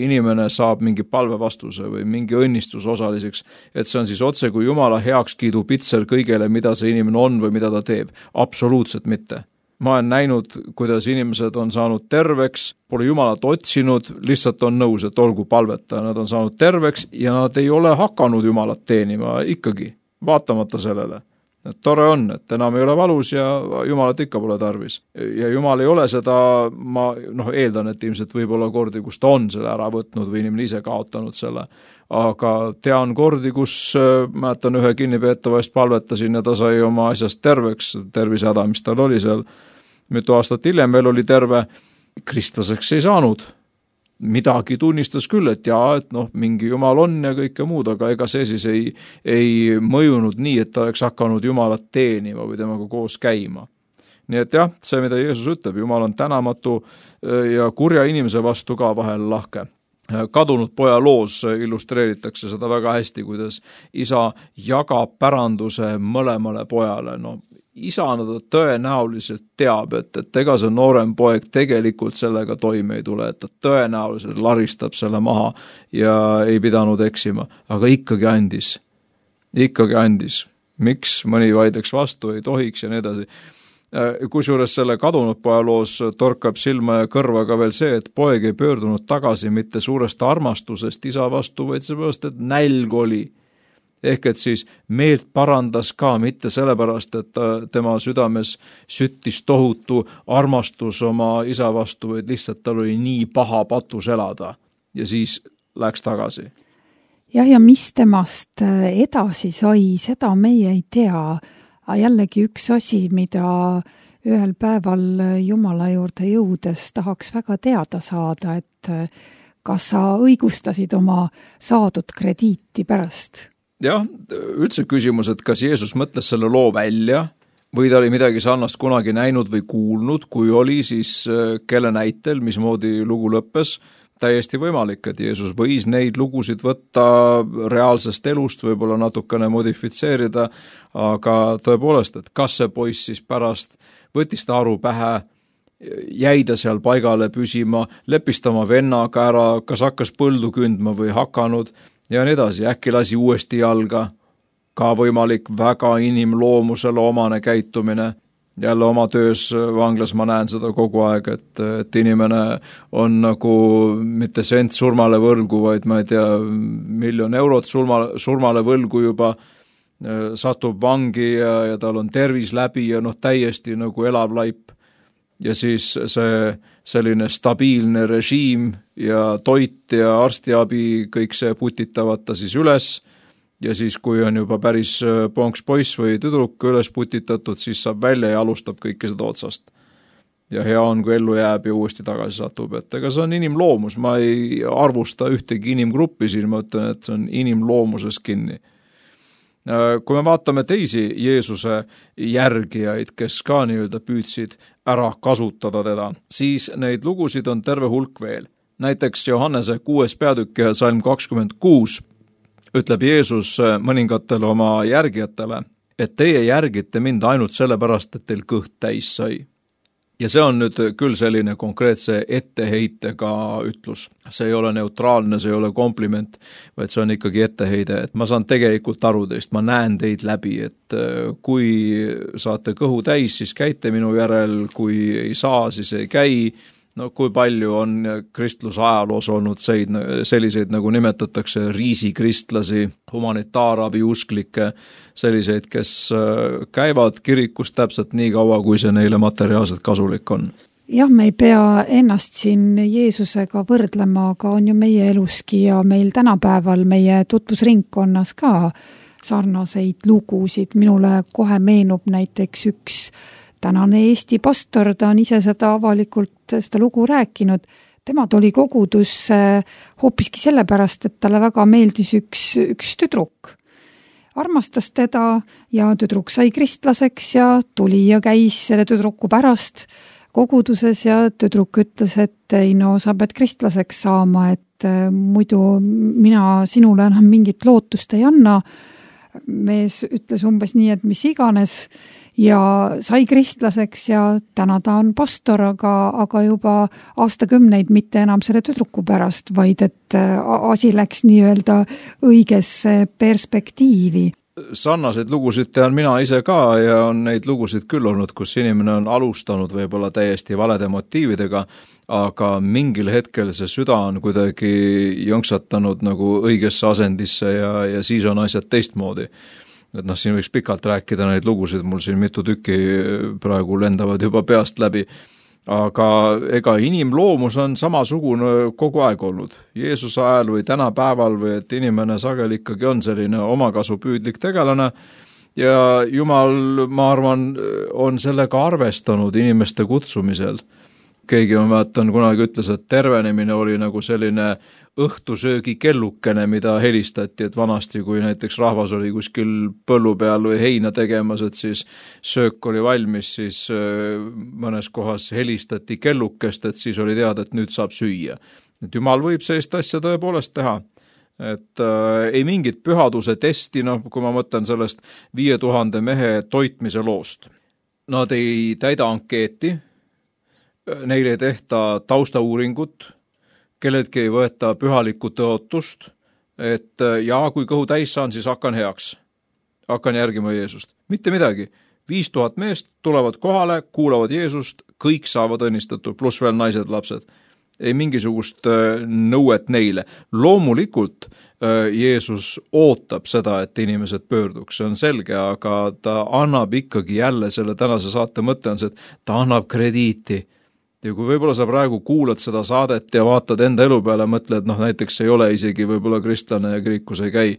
inimene saab mingi palvevastuse või mingi õnnistuse osaliseks, et see on siis otse kui Jumala heakskiidu pitser kõigele, mida see inimene on või mida ta teeb. Absoluutselt mitte. Ma olen näinud, kuidas inimesed on saanud terveks, pole Jumalat otsinud, lihtsalt on nõus, et olgu palveta. Nad on saanud terveks ja nad ei ole hakanud Jumalat teenima ikkagi, vaatamata sellele. Et tore on, et enam ei ole valus ja Jumalat ikka pole tarvis. Ja Jumal ei ole seda, ma eeldan, et ilmselt võib olla kordi, kus ta on selle ära võtnud või inimene ise kaotanud selle. Aga tean kordi, kus mäletan ühe kinnipeetava eest palvetasin ja ta sai oma asjast terveks, tervisehäda, mis tal oli seal. Mitu aastat hiljem veel oli terve, kristlaseks ei saanud. Midagi tunnistas küll, et mingi Jumal on ja kõike muud, aga ega see siis ei mõjunud nii, et ta oleks hakanud Jumalat teenima või temaga koos käima. Nii et jah, see, mida Jeesus ütleb, Jumal on tänamatu ja kurja inimese vastu ka vahel lahke. Kadunud poja loos illustreeritakse seda väga hästi, kuidas isa jagab päranduse mõlemale pojale. Isana ta tõenäoliselt teab, et ega see noorem poeg tegelikult sellega toime ei tule, et ta tõenäoliselt laristab selle maha ja ei pidanud eksima, aga ikkagi andis. Miks mõni vaideks vastu ei tohiks ja nii edasi. Kusjuures selle kadunud poja loos torkab silma ja kõrva ka veel see, et poeg ei pöördunud tagasi mitte suurest armastusest isa vastu, vaid seepärast, et nälg oli. Ehk et siis meelt parandas ka mitte sellepärast, et tema südames süttis tohutu armastus oma isa vastu, vaid lihtsalt tal oli nii paha patus elada ja siis läks tagasi. Ja mis temast edasi sai, seda meie ei tea. Jällegi üks asi, mida ühel päeval Jumala juurde jõudes tahaks väga teada saada, et kas sa õigustasid oma saadud krediiti pärast? Jah, üldse küsimus, et kas Jeesus mõtles selle loo välja või ta oli midagi sarnast kunagi näinud või kuulnud, kui oli, siis kelle näitel, mismoodi lugu lõppes. Täiesti võimalik, et Jeesus võis neid lugusid võtta reaalsest elust, võib-olla natukene modifitseerida, aga tõepoolest, et kas see poiss siis pärast võttis ta aru pähe, jäi ta seal paigale püsima, leppis ta oma vennaga ära, kas hakkas põldu kündma või hakanud ja nii edasi, äkki lasi uuesti jalga, ka võimalik väga inimloomusele omane käitumine. Jälle oma töös vanglas ma näen seda kogu aeg, et inimene on nagu mitte sent surmale võlgu, vaid ma ei tea, 1 000 000 eurot surmale võlgu juba, satub vangi ja tal on tervis läbi ja täiesti nagu elav laip. Ja siis see selline stabiilne režiim ja toit ja arstiabi, kõik see putitavad ta siis üles. Ja siis, kui on juba päris ponks poiss või tüdruk üles putitatud, siis saab välja ja alustab kõike seda otsast. Ja hea on, kui ellu jääb ja uuesti tagasi satub, et ega see on inimloomus, ma ei arvusta ühtegi inimgruppi siin, ma ütlen, et see on inimloomuses kinni. Kui me vaatame teisi Jeesuse järgijaid, kes ka nii-öelda püüdsid ära kasutada teda, siis neid lugusid on terve hulk veel. Näiteks Johannese 6. peatükk ja salm 26 ütleb Jeesus mõningatele oma järgijatele, et teie järgite mind ainult sellepärast, et teil kõht täis sai. ja see on nüüd küll selline konkreetse etteheitega ütlus. See ei ole neutraalne, see ei ole kompliment, vaid see on ikkagi etteheide, et ma saan tegelikult aru teist, ma näen teid läbi, et kui saate kõhu täis, siis käite minu järel, kui ei saa, siis ei käi. No kui palju on kristluse ajaloos olnud selliseid, nagu nimetatakse, riisikristlasi, humanitaarabi usklikke, selliseid, kes käivad kirikus täpselt nii kaua, kui see neile materiaalselt kasulik on. Jah, me ei pea ennast siin Jeesusega võrdlema, aga on ju meie eluski ja meil tänapäeval meie tutvusringkonnas ka sarnaseid lugusid. Minule kohe meenub näiteks üks tänane Eesti pastor, ta on ise seda avalikult seda lugu rääkinud. Tema tuli kogudusse hoopiski sellepärast, et talle väga meeldis üks tüdruk. Armastas teda ja tüdruk sai kristlaseks ja tuli ja käis selle tüdruku pärast koguduses ja tüdruk ütles, et ei no, sa pead kristlaseks saama, et muidu mina sinule enam mingit lootust ei anna. Mees ütles umbes nii, et mis iganes ja sai kristlaseks ja täna ta on pastor, aga juba aastakümneid mitte enam selle tüdruku pärast, vaid et asi läks nii-öelda õigesse perspektiivi. Sarnaseid lugusid tean mina ise ka ja on neid lugusid küll olnud, kus inimene on alustanud võib-olla täiesti valede motiividega, aga mingil hetkel see süda on kuidagi jõnksatanud nagu õigesse asendisse ja siis on asjad teistmoodi. Et siin võiks pikalt rääkida neid lugusid, mul siin mitu tükki praegu lendavad juba peast läbi, aga ega inimloomus on samasugune kogu aeg olnud. Jeesuse ajal või tänapäeval või et inimene sageli ikkagi on selline omakasupüüdlik tegelane ja Jumal, ma arvan, on sellega arvestanud inimeste kutsumisel. Keegi, ma mäletan, kunagi ütles, et tervenemine oli nagu selline õhtusöögi kellukene, mida helistati, et vanasti, kui näiteks rahvas oli kuskil põllu peal või heina tegemas, et siis söök oli valmis, siis mõnes kohas helistati kellukest, et siis oli teada, et nüüd saab süüa. Et Jumal võib sellist asja tõepoolest teha. Et ei mingit pühaduse testi, kui ma mõtlen sellest 5000 mehe toitmise loost. Nad ei täida ankeeti, neile ei tehta taustauuringut, kelledki ei võeta pühalikku tõotust, et kui kõhu täis saan, siis hakkan heaks. Hakkan järgima Jeesust. Mitte midagi. 5000 meest tulevad kohale, kuulavad Jeesust, kõik saavad õnnistatud, pluss veel naised, lapsed. Ei mingisugust nõuet neile. Loomulikult Jeesus ootab seda, et inimesed pöörduks, see on selge, aga ta annab ikkagi jälle selle tänase saate mõte on see, et ta annab krediiti. Ja kui võib-olla sa praegu kuulad seda saadet ja vaatad enda elu peale, mõtled, näiteks ei ole isegi võib-olla kristlane ja kirikus ei käi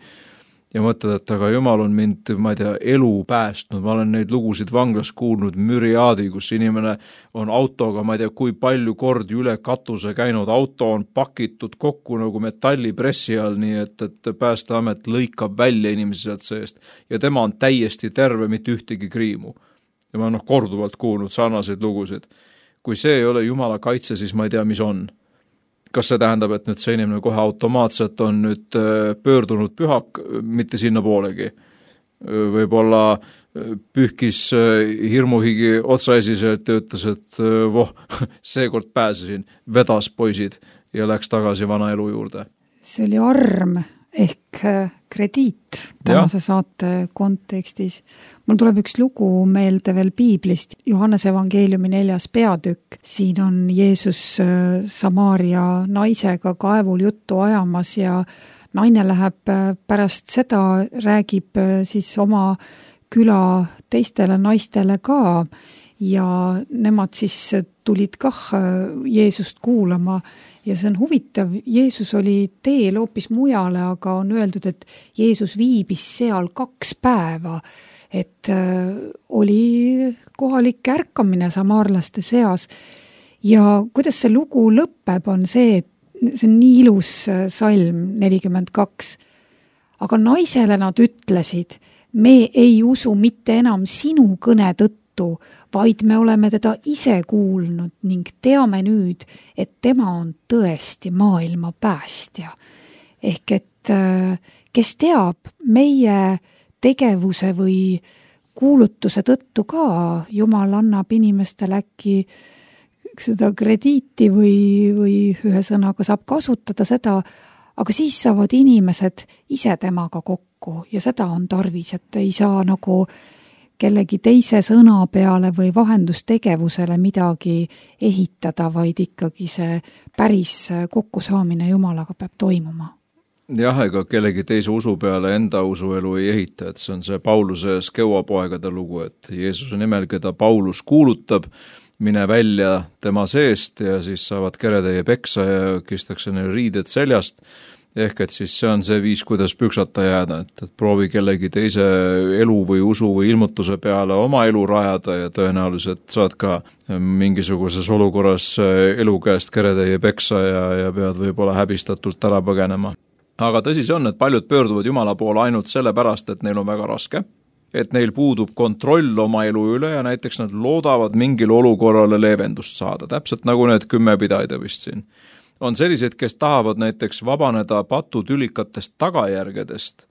ja mõtled, et aga Jumal on mind, ma ei tea, elu päästnud, ma olen neid lugusid vanglas kuulnud müriaadi, kus inimene on autoga, ma ei tea, kui palju kordi üle katuse käinud, auto on pakitud kokku nagu metallipressi all, nii et Päästeamet lõikab välja inimesi sealt seest ja tema on täiesti terve, mitte ühtegi kriimu. Ja ma korduvalt kuulnud sarnaseid lugusid. Kui see ei ole Jumala kaitse, siis ma ei tea, mis on. Kas see tähendab, et nüüd see inimene kohe automaatselt on nüüd pöördunud pühak, mitte sinna poolegi? Võib-olla pühkis hirmuhigi otsaesiselt ja ütles, et seekord pääsesin, vedas poisid ja läks tagasi vana elu juurde. See oli arm ehk krediit tänase saate kontekstis. Mul tuleb üks lugu meelde veel Piiblist, Johannese evangeeliumi 4. peatükk. Siin on Jeesus Samaaria naisega kaevul juttu ajamas ja naine läheb pärast seda, räägib siis oma küla teistele naistele ka ja nemad siis tulid kah Jeesust kuulama. Ja see on huvitav, Jeesus oli teel hoopis mujale, aga on öeldud, et Jeesus viibis seal 2 päeva, et oli kohalik ärkamine samaarlaste seas. Ja kuidas see lugu lõpeb, on see, et see on nii ilus salm 42. Aga naisele nad ütlesid, me ei usu mitte enam sinu kõne tõttu, vaid me oleme teda ise kuulnud ning teame nüüd, et tema on tõesti maailma päästja. Ehk et kes teab meie tegevuse või kuulutuse tõttu ka Jumal annab inimestele äkki seda krediiti või ühesõnaga saab kasutada seda, aga siis saavad inimesed ise temaga kokku ja seda on tarvis, et ei saa nagu kellegi teise sõna peale või vahendustegevusele midagi ehitada, vaid ikkagi see päris kokkusaamine Jumalaga peab toimuma. Jah, ega kellegi teise usu peale enda usuelu ei ehita, et see on see Pauluse skeuapoegade lugu, et Jeesuse nimel, keda Paulus kuulutab, mine välja tema seest ja siis saavad keretäie peksa ja kistakse neile riided seljast. Ehk et siis see on see viis, kuidas püksata jääda, et proovi kellegi teise elu või usu või ilmutuse peale oma elu rajada ja tõenäoliselt saad ka mingisuguses olukorras elu käest keretäie peksa ja pead võib-olla häbistatult ära põgenema. Aga tõsi see on, et paljud pöörduvad Jumala poole ainult sellepärast, et neil on väga raske, et neil puudub kontroll oma elu üle ja näiteks nad loodavad mingil olukorrale leevendust saada, täpselt nagu need 10 pidaida vist siin. On sellised, kes tahavad näiteks vabaneda patutülikatest tagajärgedest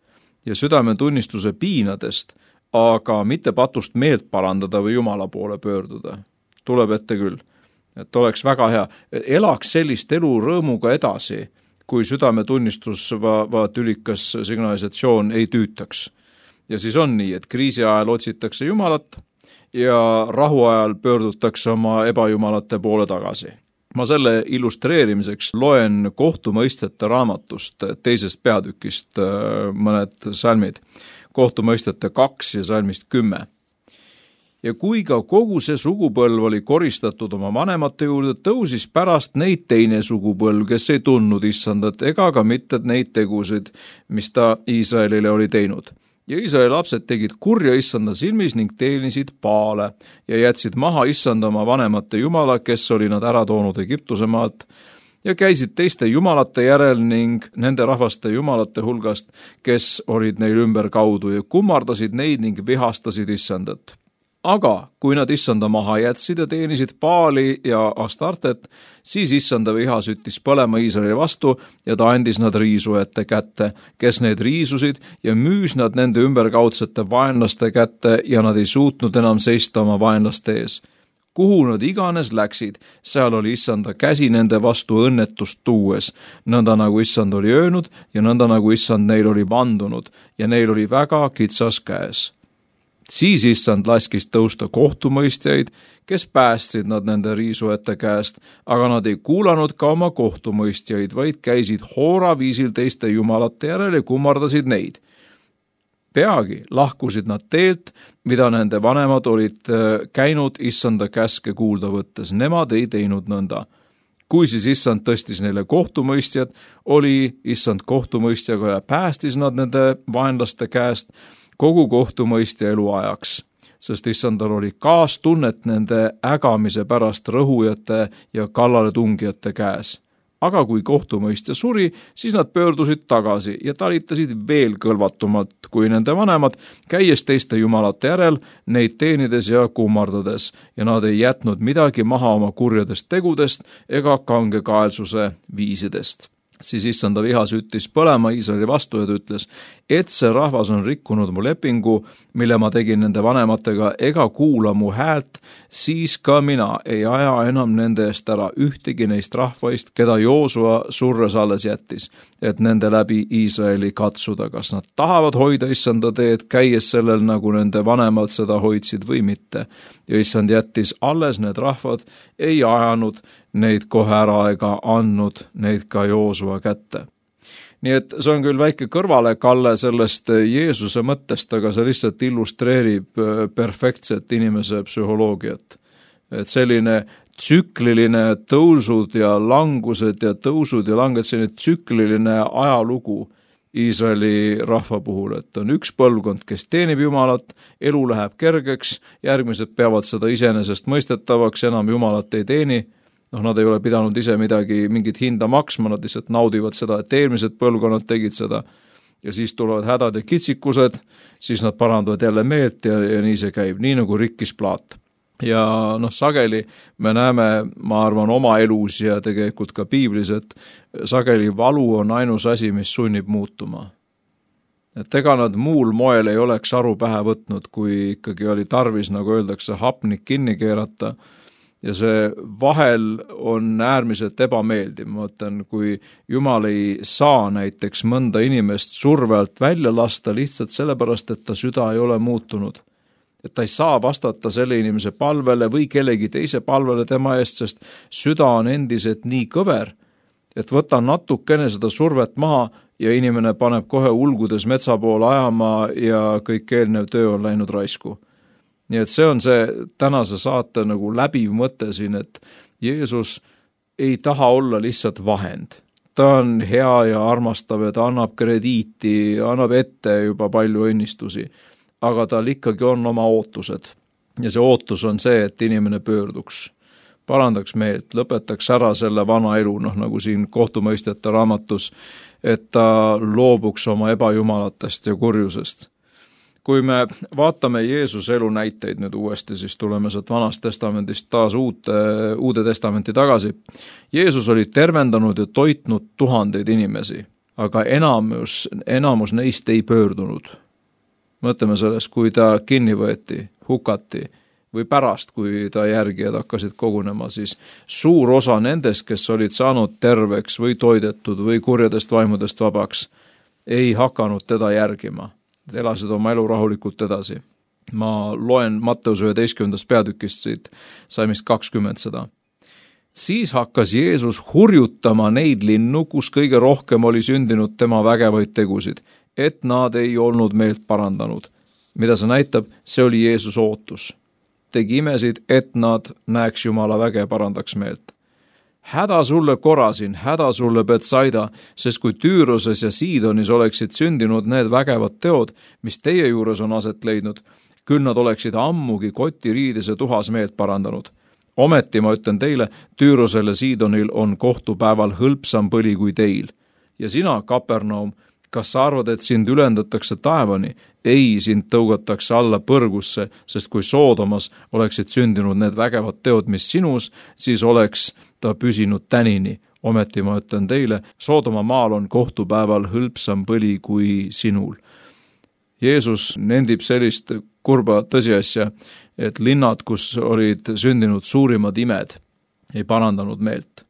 ja südametunnistuse piinadest, aga mitte patust meelt parandada või Jumala poole pöörduda. Tuleb ette küll, et oleks väga hea. Elaks sellist elu rõõmuga edasi, kui südametunnistus tülikas signalisatsioon ei tüütaks. Ja siis on nii, et kriisi ajal otsitakse Jumalat ja rahu ajal pöördutakse oma ebajumalate poole tagasi. Ma selle illustreerimiseks loen kohtumõistjate raamatust 2. peatükist mõned salmid, kohtumõistjate 2 ja salmist 10. Ja kui ka kogu see sugupõlv oli koristatud oma vanemate juurde, tõusis pärast neid teine sugupõlv, kes ei tundnud issandat ega ka mitte neid tegusid, mis ta Iisraelile oli teinud. Ja Iisraeli lapsed tegid kurja issanda silmis ning teenisid Baale ja jätsid maha issanda oma vanemate jumala, kes oli nad ära toonud Egiptuse maalt, ja käisid teiste jumalate järel ning nende rahvaste jumalate hulgast, kes olid neil ümber kaudu ja kummardasid neid ning vihastasid issandat. Aga kui nad issanda maha jätsid ja teenisid Baali ja Astartet, siis issanda viha süttis põlema Iisraeli vastu ja ta andis nad riisujate kätte, kes neid riisusid ja müüs nad nende ümberkaudsete vaenlaste kätte ja nad ei suutnud enam seista oma vaenlaste ees. Kuhu nad iganes läksid, seal oli issanda käsi nende vastu õnnetust tuues, nõnda nagu issand oli öelnud ja nõnda nagu issand neil oli vandunud ja neil oli väga kitsas käes. Siis issand laskis tõusta kohtumõistjaid, kes päästsid nad nende riisujate käest, aga nad ei kuulanud ka oma kohtumõistjaid, vaid käisid hooraviisil teiste jumalate järel ja kummardasid neid. Peagi lahkusid nad teelt, mida nende vanemad olid käinud issanda käske kuulda võttes. Nemad ei teinud nõnda. Kui siis issand tõstis neile kohtumõistjad, oli issand kohtumõistjaga ja päästis nad nende vaenlaste käest kogu kohtumõistja eluajaks, sest issandal oli kaastunnet nende ägamise pärast rõhujate ja kallaletungijate käes. Aga kui kohtumõistja suri, siis nad pöördusid tagasi ja talitasid veel kõlvatumalt kui nende vanemad, käies teiste jumalate järel, neid teenides ja kummardades, ja nad ei jätnud midagi maha oma kurjadest tegudest ega kangekaelsuse viisidest. Siis issanda viha süttis põlema Iisraeli vastu ja ta ütles, et see rahvas on rikkunud mu lepingu, mille ma tegin nende vanematega, ega kuula mu häält, siis ka mina ei aja enam nende eest ära ühtegi neist rahvaist, keda Joosua surres alles jättis, et nende läbi Iisraeli katsuda, kas nad tahavad hoida issanda teed, käies sellel, nagu nende vanemad seda hoidsid või mitte. Ja issand jättis alles need rahvad, ei ajanud neid kohe ära ega andnud neid ka Joosua kätte. Nii et see on küll väike kõrvalekalle sellest Jeesuse mõttest, aga see lihtsalt illustreerib perfektset inimese psühholoogiat. Et selline tsükliline tõusud ja langused ja tõusud ja langed, selline tsükliline ajalugu Iisraeli rahva puhul, et on üks põlvkond, kes teenib Jumalat, elu läheb kergeks, järgmised peavad seda iseenesest mõistetavaks, enam Jumalat ei teeni. Nad ei ole pidanud ise mingit hinda maksma, nad lihtsalt naudivad seda, et eelmised põlvkonnad tegid seda. Ja siis tulevad hädad ja kitsikused, siis nad parandavad jälle meelt ja nii see käib, nii nagu rikkis plaat. Ja sageli me näeme, ma arvan, oma elus ja tegelikult ka piiblis, et sageli valu on ainus asi, mis sunnib muutuma. Et ega nad muul moel ei oleks aru pähe võtnud, kui ikkagi oli tarvis, nagu öeldakse, hapnik kinni keerata. Ja see vahel on äärmiselt ebameeldiv. Ma mõtlen, kui Jumal ei saa näiteks mõnda inimest surve alt välja lasta lihtsalt sellepärast, et ta süda ei ole muutunud. Et ta ei saa vastata selle inimese palvele või kellegi teise palvele tema eest, sest süda on endiselt nii kõver, et võta natukene seda survet maha ja inimene paneb kohe ulgudes metsa poole ajama ja kõik eelnev töö on läinud raisku. Nii et see on see tänase saate nagu läbiv mõte siin, et Jeesus ei taha olla lihtsalt vahend. Ta on hea ja armastav ja ta annab krediiti, annab ette juba palju õnnistusi, aga tal ikkagi on oma ootused. Ja see ootus on see, et inimene pöörduks, parandaks meelt, lõpetaks ära selle vana elu, nagu siin kohtumõistjate raamatus, et ta loobuks oma ebajumalatest ja kurjusest. Kui me vaatame Jeesuse elu näiteid nüüd uuesti, siis tuleme sealt vanast testamendist taas uude testamenti tagasi. Jeesus oli tervendanud ja toitnud tuhandeid inimesi, aga enamus neist ei pöördunud. Mõtleme sellest, kui ta kinni võeti, hukati või pärast, kui ta järgijad hakkasid kogunema, siis suur osa nendest, kes olid saanud terveks või toidetud või kurjadest vaimudest vabaks, ei hakanud teda järgima. Elasid oma elu rahulikult edasi. Ma loen Matteus 11. peatükist siit salmist 20 seda. Siis hakkas Jeesus hurjutama neid linnu, kus kõige rohkem oli sündinud tema vägevaid tegusid, et nad ei olnud meelt parandanud. Mida see näitab? See oli Jeesus ootus. Tegi imesid, et nad näeks Jumala väge parandaks meelt. Häda sulle Korasin, häda sulle Betsaida, sest kui Tüüroses ja Siidonis oleksid sündinud need vägevad teod, mis teie juures on aset leidnud, küll nad oleksid ammugi kotiriides ja tuhas meelt parandanud. Ometi ma ütlen teile, Tüürosel ja Siidonil on kohtupäeval hõlpsam põli kui teil. Ja sina, Kapernaum, kas sa arvad, et sind ülendatakse taevani? Ei, sind tõugatakse alla põrgusse, sest kui Soodomas oleksid sündinud need vägevad teod, mis sinus, siis oleks ta püsinud tänini. Ometi ma ütlen teile, Soodoma maal on kohtupäeval hõlpsam põli kui sinul. Jeesus nendib sellist kurba tõsiasja, et linnad, kus olid sündinud suurimad imed, ei parandanud meelt.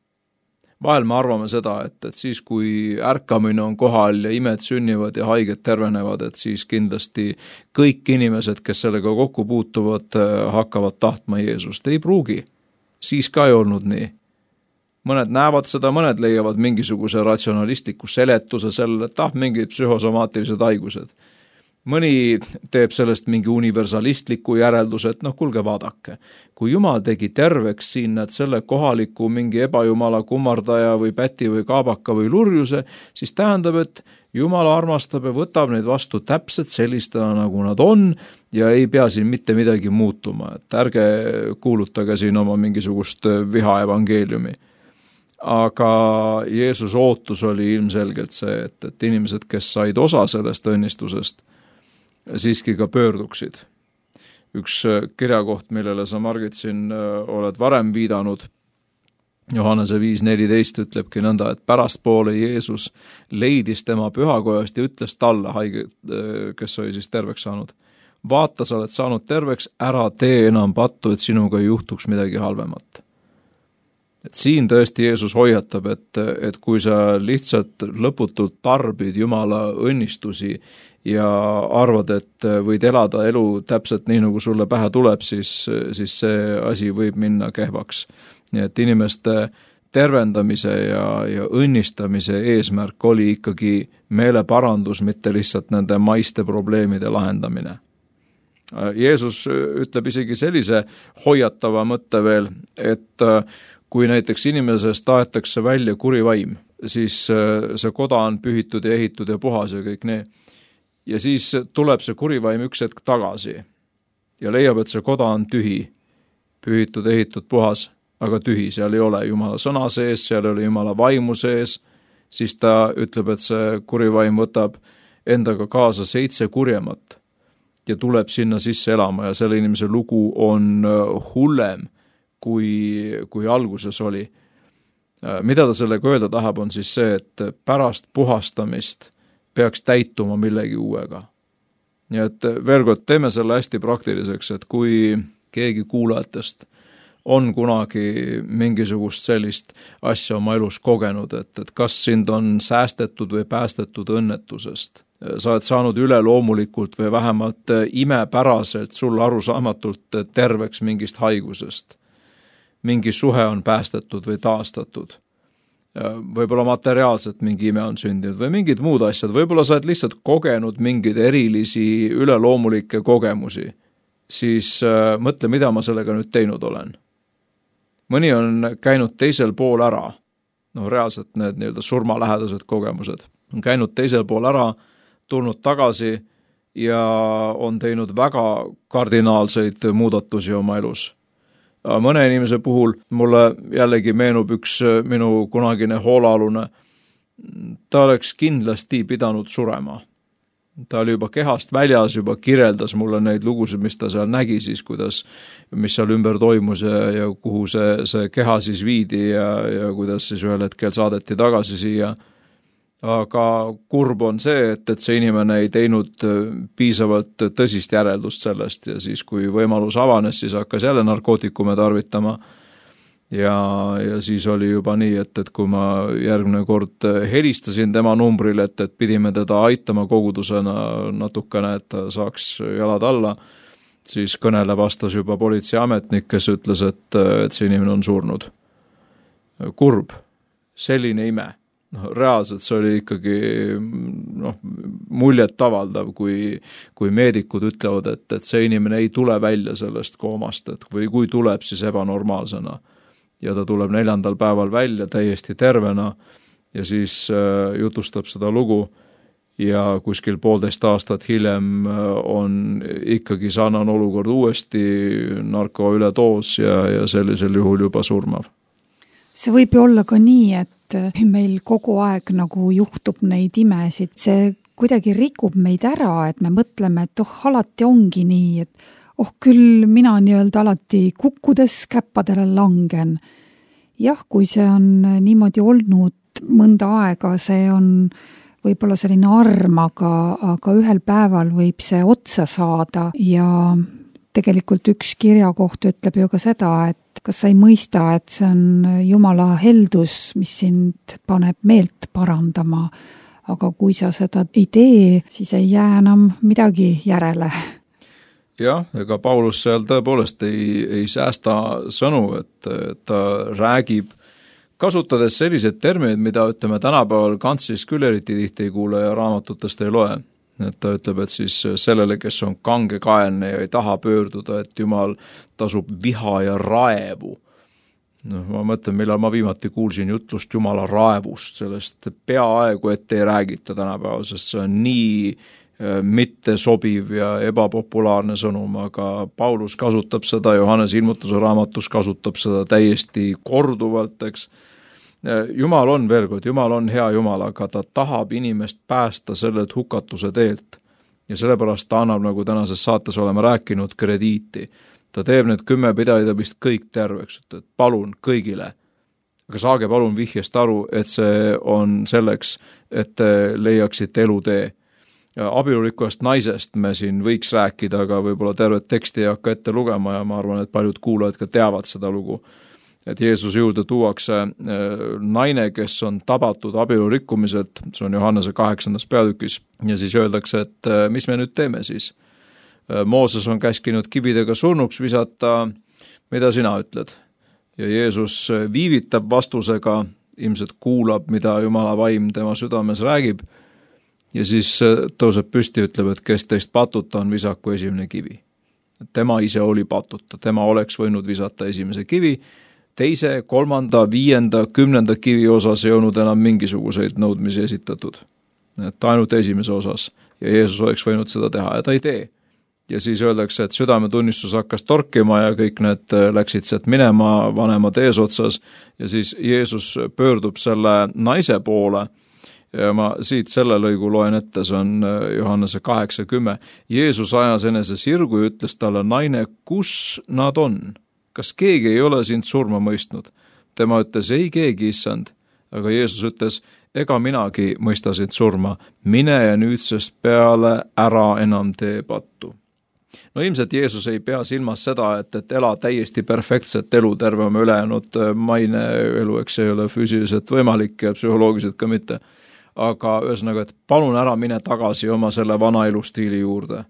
Vahel me arvame seda, et siis kui ärkamine on kohal ja imed sünnivad ja haiged tervenevad, et siis kindlasti kõik inimesed, kes sellega kokku puutuvad, hakkavad tahtma Jeesust. Ei pruugi. Siis ka ei olnud nii. Mõned näevad seda, mõned leiavad mingisuguse ratsionalistliku seletuse sellele, et mingid psühhosomaatilised haigused. Mõni teeb sellest mingi universalistliku järelduse, et kuulge vaadake. Kui Jumal tegi terveks siin selle kohaliku mingi ebajumala kummardaja või päti või kaabaka või lurjuse, siis tähendab, et Jumal armastab ja võtab neid vastu täpselt sellistena, nagu nad on ja ei pea siin mitte midagi muutuma. Et ärge kuulutage siin oma mingisugust viha evangeeliumi. Aga Jeesus ootus oli ilmselgelt see, et inimesed, kes said osa sellest õnnistusest, siiski ka pöörduksid. Üks kirjakoht, millele sa, Margit, siin oled varem viidanud, Johannese 5.14 ütlebki nõnda, et pärastpoole Jeesus leidis tema pühakojast ja ütles talle, haige, kes oli siis terveks saanud, vaata, sa oled saanud terveks, ära tee enam pattu, et sinuga ei juhtuks midagi halvemat. Et siin tõesti Jeesus hoiatab, et kui sa lihtsalt lõputult tarbid Jumala õnnistusi ja arvad, et võid elada elu täpselt nii, nagu sulle pähe tuleb, siis see asi võib minna kehvaks. Nii et inimeste tervendamise ja õnnistamise eesmärk oli ikkagi meeleparandus, mitte lihtsalt nende maiste probleemide lahendamine. Jeesus ütleb isegi sellise hoiatava mõtte veel, et kui näiteks inimesest tahetakse välja kuri vaim, siis see koda on pühitud ja ehitud ja puhas ja kõik nii. Ja siis tuleb see kurivaim üks hetk tagasi ja leiab, et see koda on tühi, pühitud, ehitud, puhas, aga tühi, seal ei ole Jumala sõna sees, seal ei ole Jumala vaimu sees, siis ta ütleb, et see kurivaim võtab endaga kaasa 7 kurjemat ja tuleb sinna sisse elama ja selle inimese lugu on hullem, kui alguses oli. Mida ta sellega öelda tahab, on siis see, et pärast puhastamist peaks täituma millegi uuega. Nii et veel kord teeme selle hästi praktiliseks, et kui keegi kuulajatest on kunagi mingisugust sellist asja oma elus kogenud, et kas sind on säästetud või päästetud õnnetusest, sa oled saanud üleloomulikult või vähemalt imepäraselt sulle arusaamatult terveks mingist haigusest, mingi suhe on päästetud või taastatud, võib-olla materiaalselt mingi ime on sündinud või mingid muud asjad, võib-olla sa oled lihtsalt kogenud mingeid erilisi üleloomulikke kogemusi, siis mõtle, mida ma sellega nüüd teinud olen. Mõni on käinud teisel pool ära, reaalselt need nii-öelda surmalähedased kogemused, on käinud teisel pool ära, tulnud tagasi ja on teinud väga kardinaalseid muudatusi oma elus. Mõne inimese puhul mulle jällegi meenub üks minu kunagine hoolaalune, ta oleks kindlasti pidanud surema. Ta oli juba kehast väljas, juba kirjeldas mulle neid lugusid, mis ta seal nägi siis, mis seal ümber toimus ja kuhu see keha siis viidi ja kuidas siis ühel hetkel saadeti tagasi siia. Aga kurb on see, et see inimene ei teinud piisavalt tõsist järeldust sellest ja siis, kui võimalus avanes, siis hakkas jälle narkootikume tarvitama. Ja siis oli juba nii, et kui ma järgmine kord helistasin tema numbril, et pidime teda aitama kogudusena natukene, et ta saaks jalad alla, siis kõnele vastas juba politseiametnik, kes ütles, et see inimene on surnud. Kurb, selline ime. Reaalselt see oli ikkagi muljet avaldav, kui meedikud ütlevad, et see inimene ei tule välja sellest koomast, või kui tuleb, siis ebanormaalsena. Ja ta tuleb 4. päeval välja täiesti tervena ja siis jutustab seda lugu ja kuskil 1,5 aastat hiljem on ikkagi sarnane olukord uuesti, narko ületoos ja sellisel juhul juba surmav. See võib ju olla ka nii, et meil kogu aeg nagu juhtub neid imesid, see kuidagi rikub meid ära, et me mõtleme, et alati ongi nii, et küll mina nii-öelda alati kukkudes käppadele langen. Jah, kui see on niimoodi olnud mõnda aega, see on võib-olla selline arm, aga ühel päeval võib see otsa saada ja tegelikult üks kirjakoht ütleb ju ka seda, et kas sa ei mõista, et see on Jumala heldus, mis sind paneb meelt parandama, aga kui sa seda ei tee, siis ei jää enam midagi järele. Jah, ega Paulus seal tõepoolest ei säästa sõnu, et ta räägib, kasutades sellised terminid, mida ütleme tänapäeval kantsis küll eriti tihti ei kuule ja raamatutest ei loe. Et ta ütleb, et siis sellele, kes on kangekaelne ja ei taha pöörduda, et Jumal tasub viha ja raevu. Ma mõtlen, millal ma viimati kuulsin jutlust Jumala raevust, sellest peaaegu, et ei räägita tänapäeval, sest see on nii mitte sobiv ja ebapopulaarne sõnum, aga Paulus kasutab seda, Johannes ilmutuse raamatus kasutab seda täiesti korduvalt, eks. Jumal on veel kord, Jumal on hea Jumal, aga ta tahab inimest päästa sellelt hukatuse teelt ja sellepärast ta annab, nagu tänases saates oleme rääkinud, krediiti. Ta teeb need 10 pidajatavist kõik terveks, et palun kõigile, aga saage palun vihjest aru, et see on selleks, et leiaksite elutee. Abielurikkujast naisest me siin võiks rääkida, aga võib-olla tervet teksti ei hakka ette lugema ja ma arvan, et paljud kuulajad ka teavad seda lugu. Et Jeesuse juurde tuuakse naine, kes on tabatud abielurikkumiselt, see on Johannese 8. peatükis, ja siis öeldakse, et mis me nüüd teeme siis? Mooses on käskinud kividega surnuks visata, mida sina ütled? Ja Jeesus viivitab vastusega, ilmselt kuulab, mida Jumala vaim tema südames räägib, ja siis tõuseb püsti ja ütleb, et kes teist patuta on, visaku esimene kivi. Tema ise oli patuta, tema oleks võinud visata esimese kivi, 2., 3., 5., 10. kivi osas ei olnud enam mingisuguseid nõudmisi esitatud. Et ainult esimese osas ja Jeesus oleks võinud seda teha ja ta ei tee. Ja siis öeldakse, et südametunnistus hakkas torkima ja kõik need läksid sealt minema vanemad eesotsas ja siis Jeesus pöördub selle naise poole ja ma siit selle lõigu loen ette, see on Johannese 8:10. Jeesus ajas enese sirgu ja ütles talle, naine, kus nad on? Kas keegi ei ole sind surma mõistnud? Tema ütles, ei keegi, issand. Aga Jeesus ütles, ega minagi mõistasin surma, mine ja nüüdsest peale ära enam tee pattu. No ilmselt Jeesus ei pea silmas seda, et ela täiesti perfektset elu terve oma ülejäänud maine elu, eks see ei ole füüsiliselt võimalik ja psühholoogiliselt ka mitte. Aga ühesõnaga, et palun ära mine tagasi oma selle vana elustiili juurde.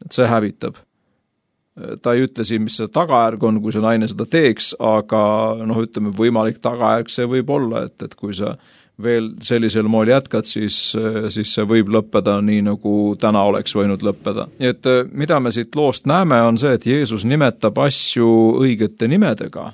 Et see hävitab. Ta ei ütle siin, mis see tagajärg on, kui see naine seda teeks, aga ütleme, võimalik tagajärg see võib olla, et kui sa veel sellisel moel jätkad, siis see võib lõppeda nii, nagu täna oleks võinud lõppeda. Nii et mida me siit loost näeme, on see, et Jeesus nimetab asju õigete nimedega.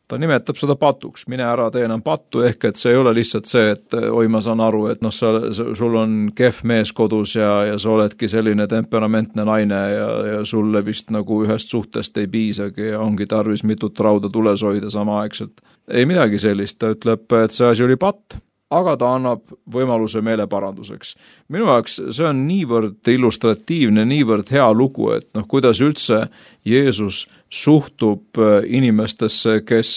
Ta nimetab seda patuks, mine ära tee enam pattu, ehk et see ei ole lihtsalt see, et oi, ma saan aru, et sul on kehv mees kodus ja sa oledki selline temperamentne naine ja sulle vist nagu ühest suhtest ei piisagi ja ongi tarvis mitut rauda tules hoida samaaegselt. Ei midagi sellist, ta ütleb, et see asi oli patt, aga ta annab võimaluse meeleparanduseks. Minu jaoks see on niivõrd illustratiivne, niivõrd hea lugu, et kuidas üldse Jeesus suhtub inimestesse, kes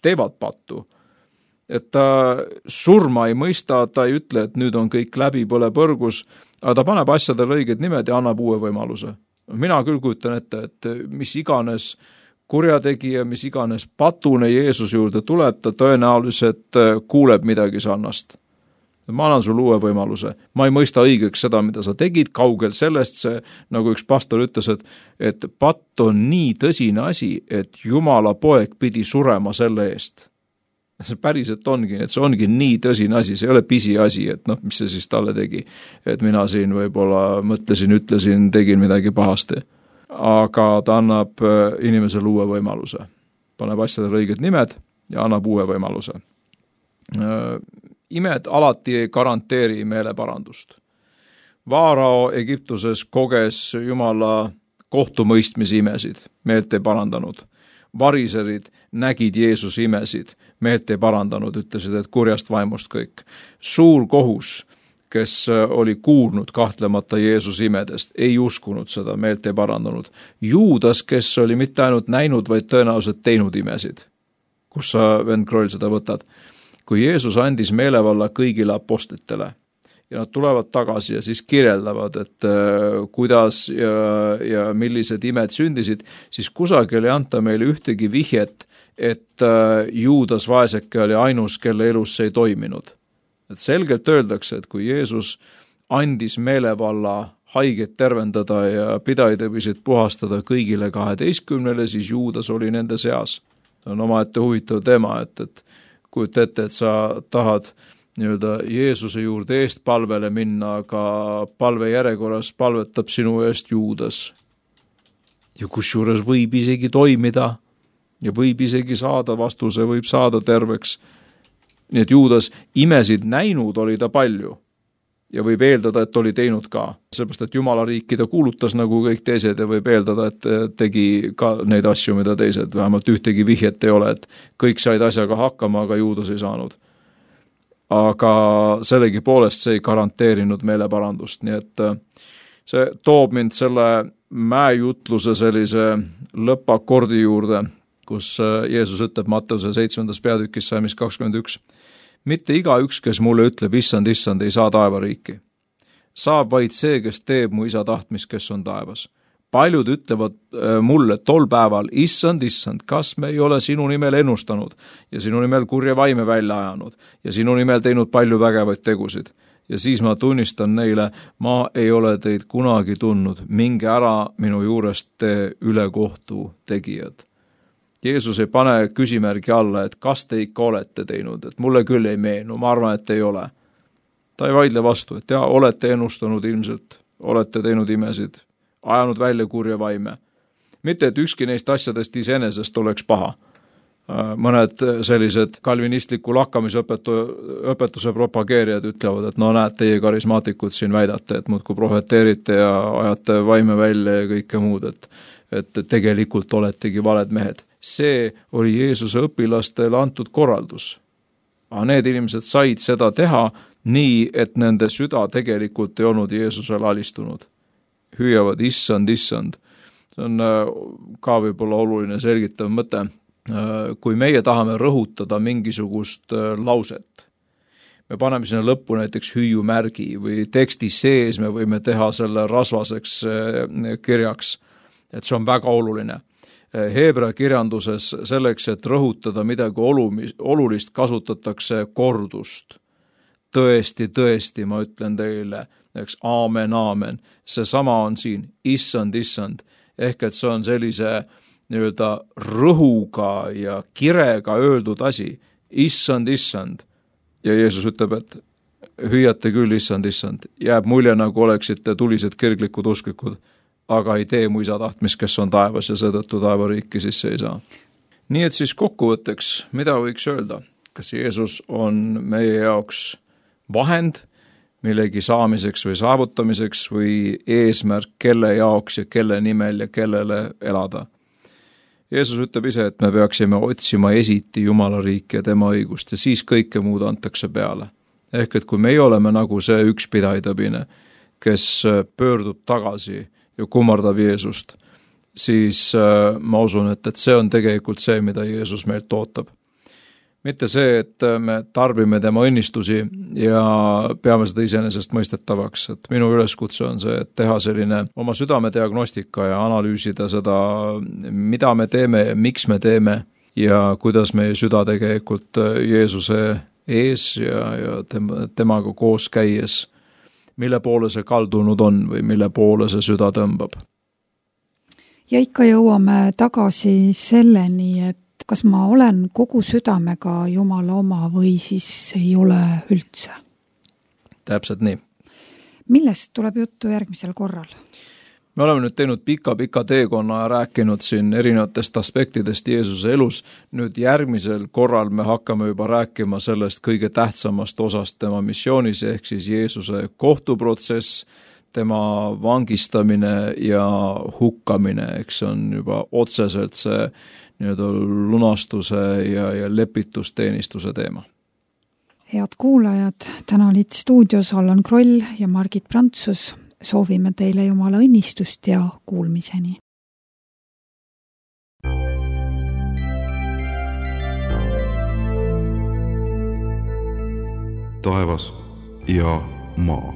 teevad pattu. Et ta surma ei mõista, ta ei ütle, et nüüd on kõik läbi, põle põrgus, aga ta paneb asjadele õiged nimed ja annab uue võimaluse. Mina küll kujutan ette, et mis iganes kurjategija, mis iganes patune Jeesus juurde tuleb, ta tõenäoliselt kuuleb midagi sarnast. Ma annan sulle uue võimaluse. Ma ei mõista õigeks seda, mida sa tegid, kaugel sellest see, nagu üks pastor ütles, et patt on nii tõsine asi, et Jumala poeg pidi surema selle eest. See päriselt ongi, et see ongi nii tõsine asi, see ei ole pisi asi, et mis see siis talle tegi. Et mina siin võib-olla mõtlesin, ütlesin, tegin midagi pahasti. Aga ta annab inimesele uue võimaluse. Paneb asjadele õiged nimed ja annab uue võimaluse. Imed alati ei garanteeri meeleparandust. Vaarao Egiptuses koges Jumala kohtumõistmise imesid, meelt ei parandanud. Variserid nägid Jeesuse imesid, meelt ei parandanud, ütlesid, et kurjast vaimust kõik. Suur kohus, kes oli kuulnud kahtlemata Jeesuse imedest, ei uskunud seda, meelt ei parandanud. Juudas, kes oli mitte ainult näinud, vaid tõenäoliselt teinud imesid. Kus sa, vend Kroll, seda võtad? Kui Jeesus andis meelevalla kõigile apostlitele ja nad tulevad tagasi ja siis kirjeldavad, et kuidas ja millised imed sündisid, siis kusagil ei anta meile ühtegi vihjet, et Juudas vaeseke oli ainus, kelle elus see ei toiminud. Et selgelt öeldakse, et kui Jeesus andis meelevalla haiget tervendada ja pidajaid võisid puhastada kõigile 12, siis Juudas oli nende seas. See on omaette huvitav teema, et kujuta ette, et sa tahad Jeesuse juurde eest palvele minna, aga palve järjekorras palvetab sinu eest Juudas. Ja kusjuures võib isegi toimida ja võib isegi saada vastuse, võib saada terveks. Nii et Juudas imesid näinud oli ta palju ja võib eeldada, et oli teinud ka. Sellepärast, et Jumala riiki ta kuulutas nagu kõik teised ja võib eeldada, et tegi ka neid asju, mida teised. Vähemalt ühtegi vihjet ei ole, et kõik said asjaga hakkama, aga Juudas ei saanud. Aga sellegi poolest see ei garanteerinud meeleparandust. Nii et see toob mind selle mäejutluse sellise lõppakordi juurde, kus Jeesus ütleb Matteuse 7. peatükis salmis 21. Mitte igaüks, kes mulle ütleb, issand, ei saa taevariiki. Saab vaid see, kes teeb mu isa tahtmist, kes on taevas. Paljud ütlevad mulle tol päeval, issand, kas me ei ole sinu nimel ennustanud ja sinu nimel kurja vaime välja ajanud ja sinu nimel teinud palju vägevaid tegusid. Ja siis ma tunnistan neile, ma ei ole teid kunagi tundnud, minge ära minu juurest te ülekohtu tegijad. Jeesus ei pane küsimärgi alla, et kas te ikka olete teinud, et mulle küll ei meenu, ma arvan, et ei ole. Ta ei vaidle vastu, et olete ennustanud ilmselt, olete teinud imesid, ajanud välja kurja vaime. Mitte, et ükski neist asjadest iseenesest oleks paha. Mõned sellised kalvinistliku lakkamisõpetuse propageerijad ütlevad, et näed, teie karismaatikud siin väidate, et muudkui prohveteerite ja ajate vaime välja ja kõike muud, et tegelikult oletegi valed mehed. See oli Jeesuse õpilastele antud korraldus. Aga need inimesed said seda teha nii, et nende süda tegelikult ei olnud Jeesusele alistunud. Hüüavad issand. See on ka võib-olla oluline selgitav mõte. Kui meie tahame rõhutada mingisugust lauset, me paneme sinna lõppu näiteks hüüumärgi või teksti sees me võime teha selle rasvaseks kirjaks, et see on väga oluline. Heebrea kirjanduses selleks, et rõhutada midagi olulist, kasutatakse kordust. Tõesti, ma ütlen teile, eks aamen, seesama on siin, issand, ehk et see on sellise nii-öelda rõhuga ja kirega öeldud asi, issand, ja Jeesus ütleb, et hüüate küll, issand, jääb mulje, nagu oleksite tulised kirglikud usklikud, aga ei tee mu isa tahtmist, kes on taevas ja seetõttu taevariiki sisse ei saa. Nii et siis kokkuvõtteks, mida võiks öelda? Kas Jeesus on meie jaoks vahend millegi saamiseks või saavutamiseks või eesmärk, kelle jaoks ja kelle nimel ja kellele elada? Jeesus ütleb ise, et me peaksime otsima esiti Jumala riiki ja tema õigust ja siis kõike muud antakse peale. Ehk et kui meie oleme nagu see üks pidaidabine, kes pöördub tagasi ja kummardab Jeesust, siis ma usun, et see on tegelikult see, mida Jeesus meilt ootab. Mitte see, et me tarbime tema õnnistusi ja peame seda iseenesest mõistetavaks. Et minu üleskutse on see, et teha selline oma südamediagnostika ja analüüsida seda, mida me teeme ja miks me teeme ja kuidas meie süda tegelikult Jeesuse ees ja temaga koos käies, mille poole see kaldunud on või mille poole see süda tõmbab. Ja ikka jõuame tagasi selleni, et kas ma olen kogu südamega Jumala oma või siis ei ole üldse? Täpselt nii. Millest tuleb juttu järgmisel korral? Me oleme nüüd teinud pika teekonna ja rääkinud siin erinevatest aspektidest Jeesuse elus. Nüüd järgmisel korral me hakkame juba rääkima sellest kõige tähtsamast osast tema missioonis, ehk siis Jeesuse kohtuprotsess, tema vangistamine ja hukkamine, eks see on juba otseselt see nii-öelda lunastuse ja lepitusteenistuse teema. Head kuulajad, täna olid stuudios Allan Kroll ja Margit Prantsus. Soovime teile Jumala õnnistust ja kuulmiseni. Taevas ja maa.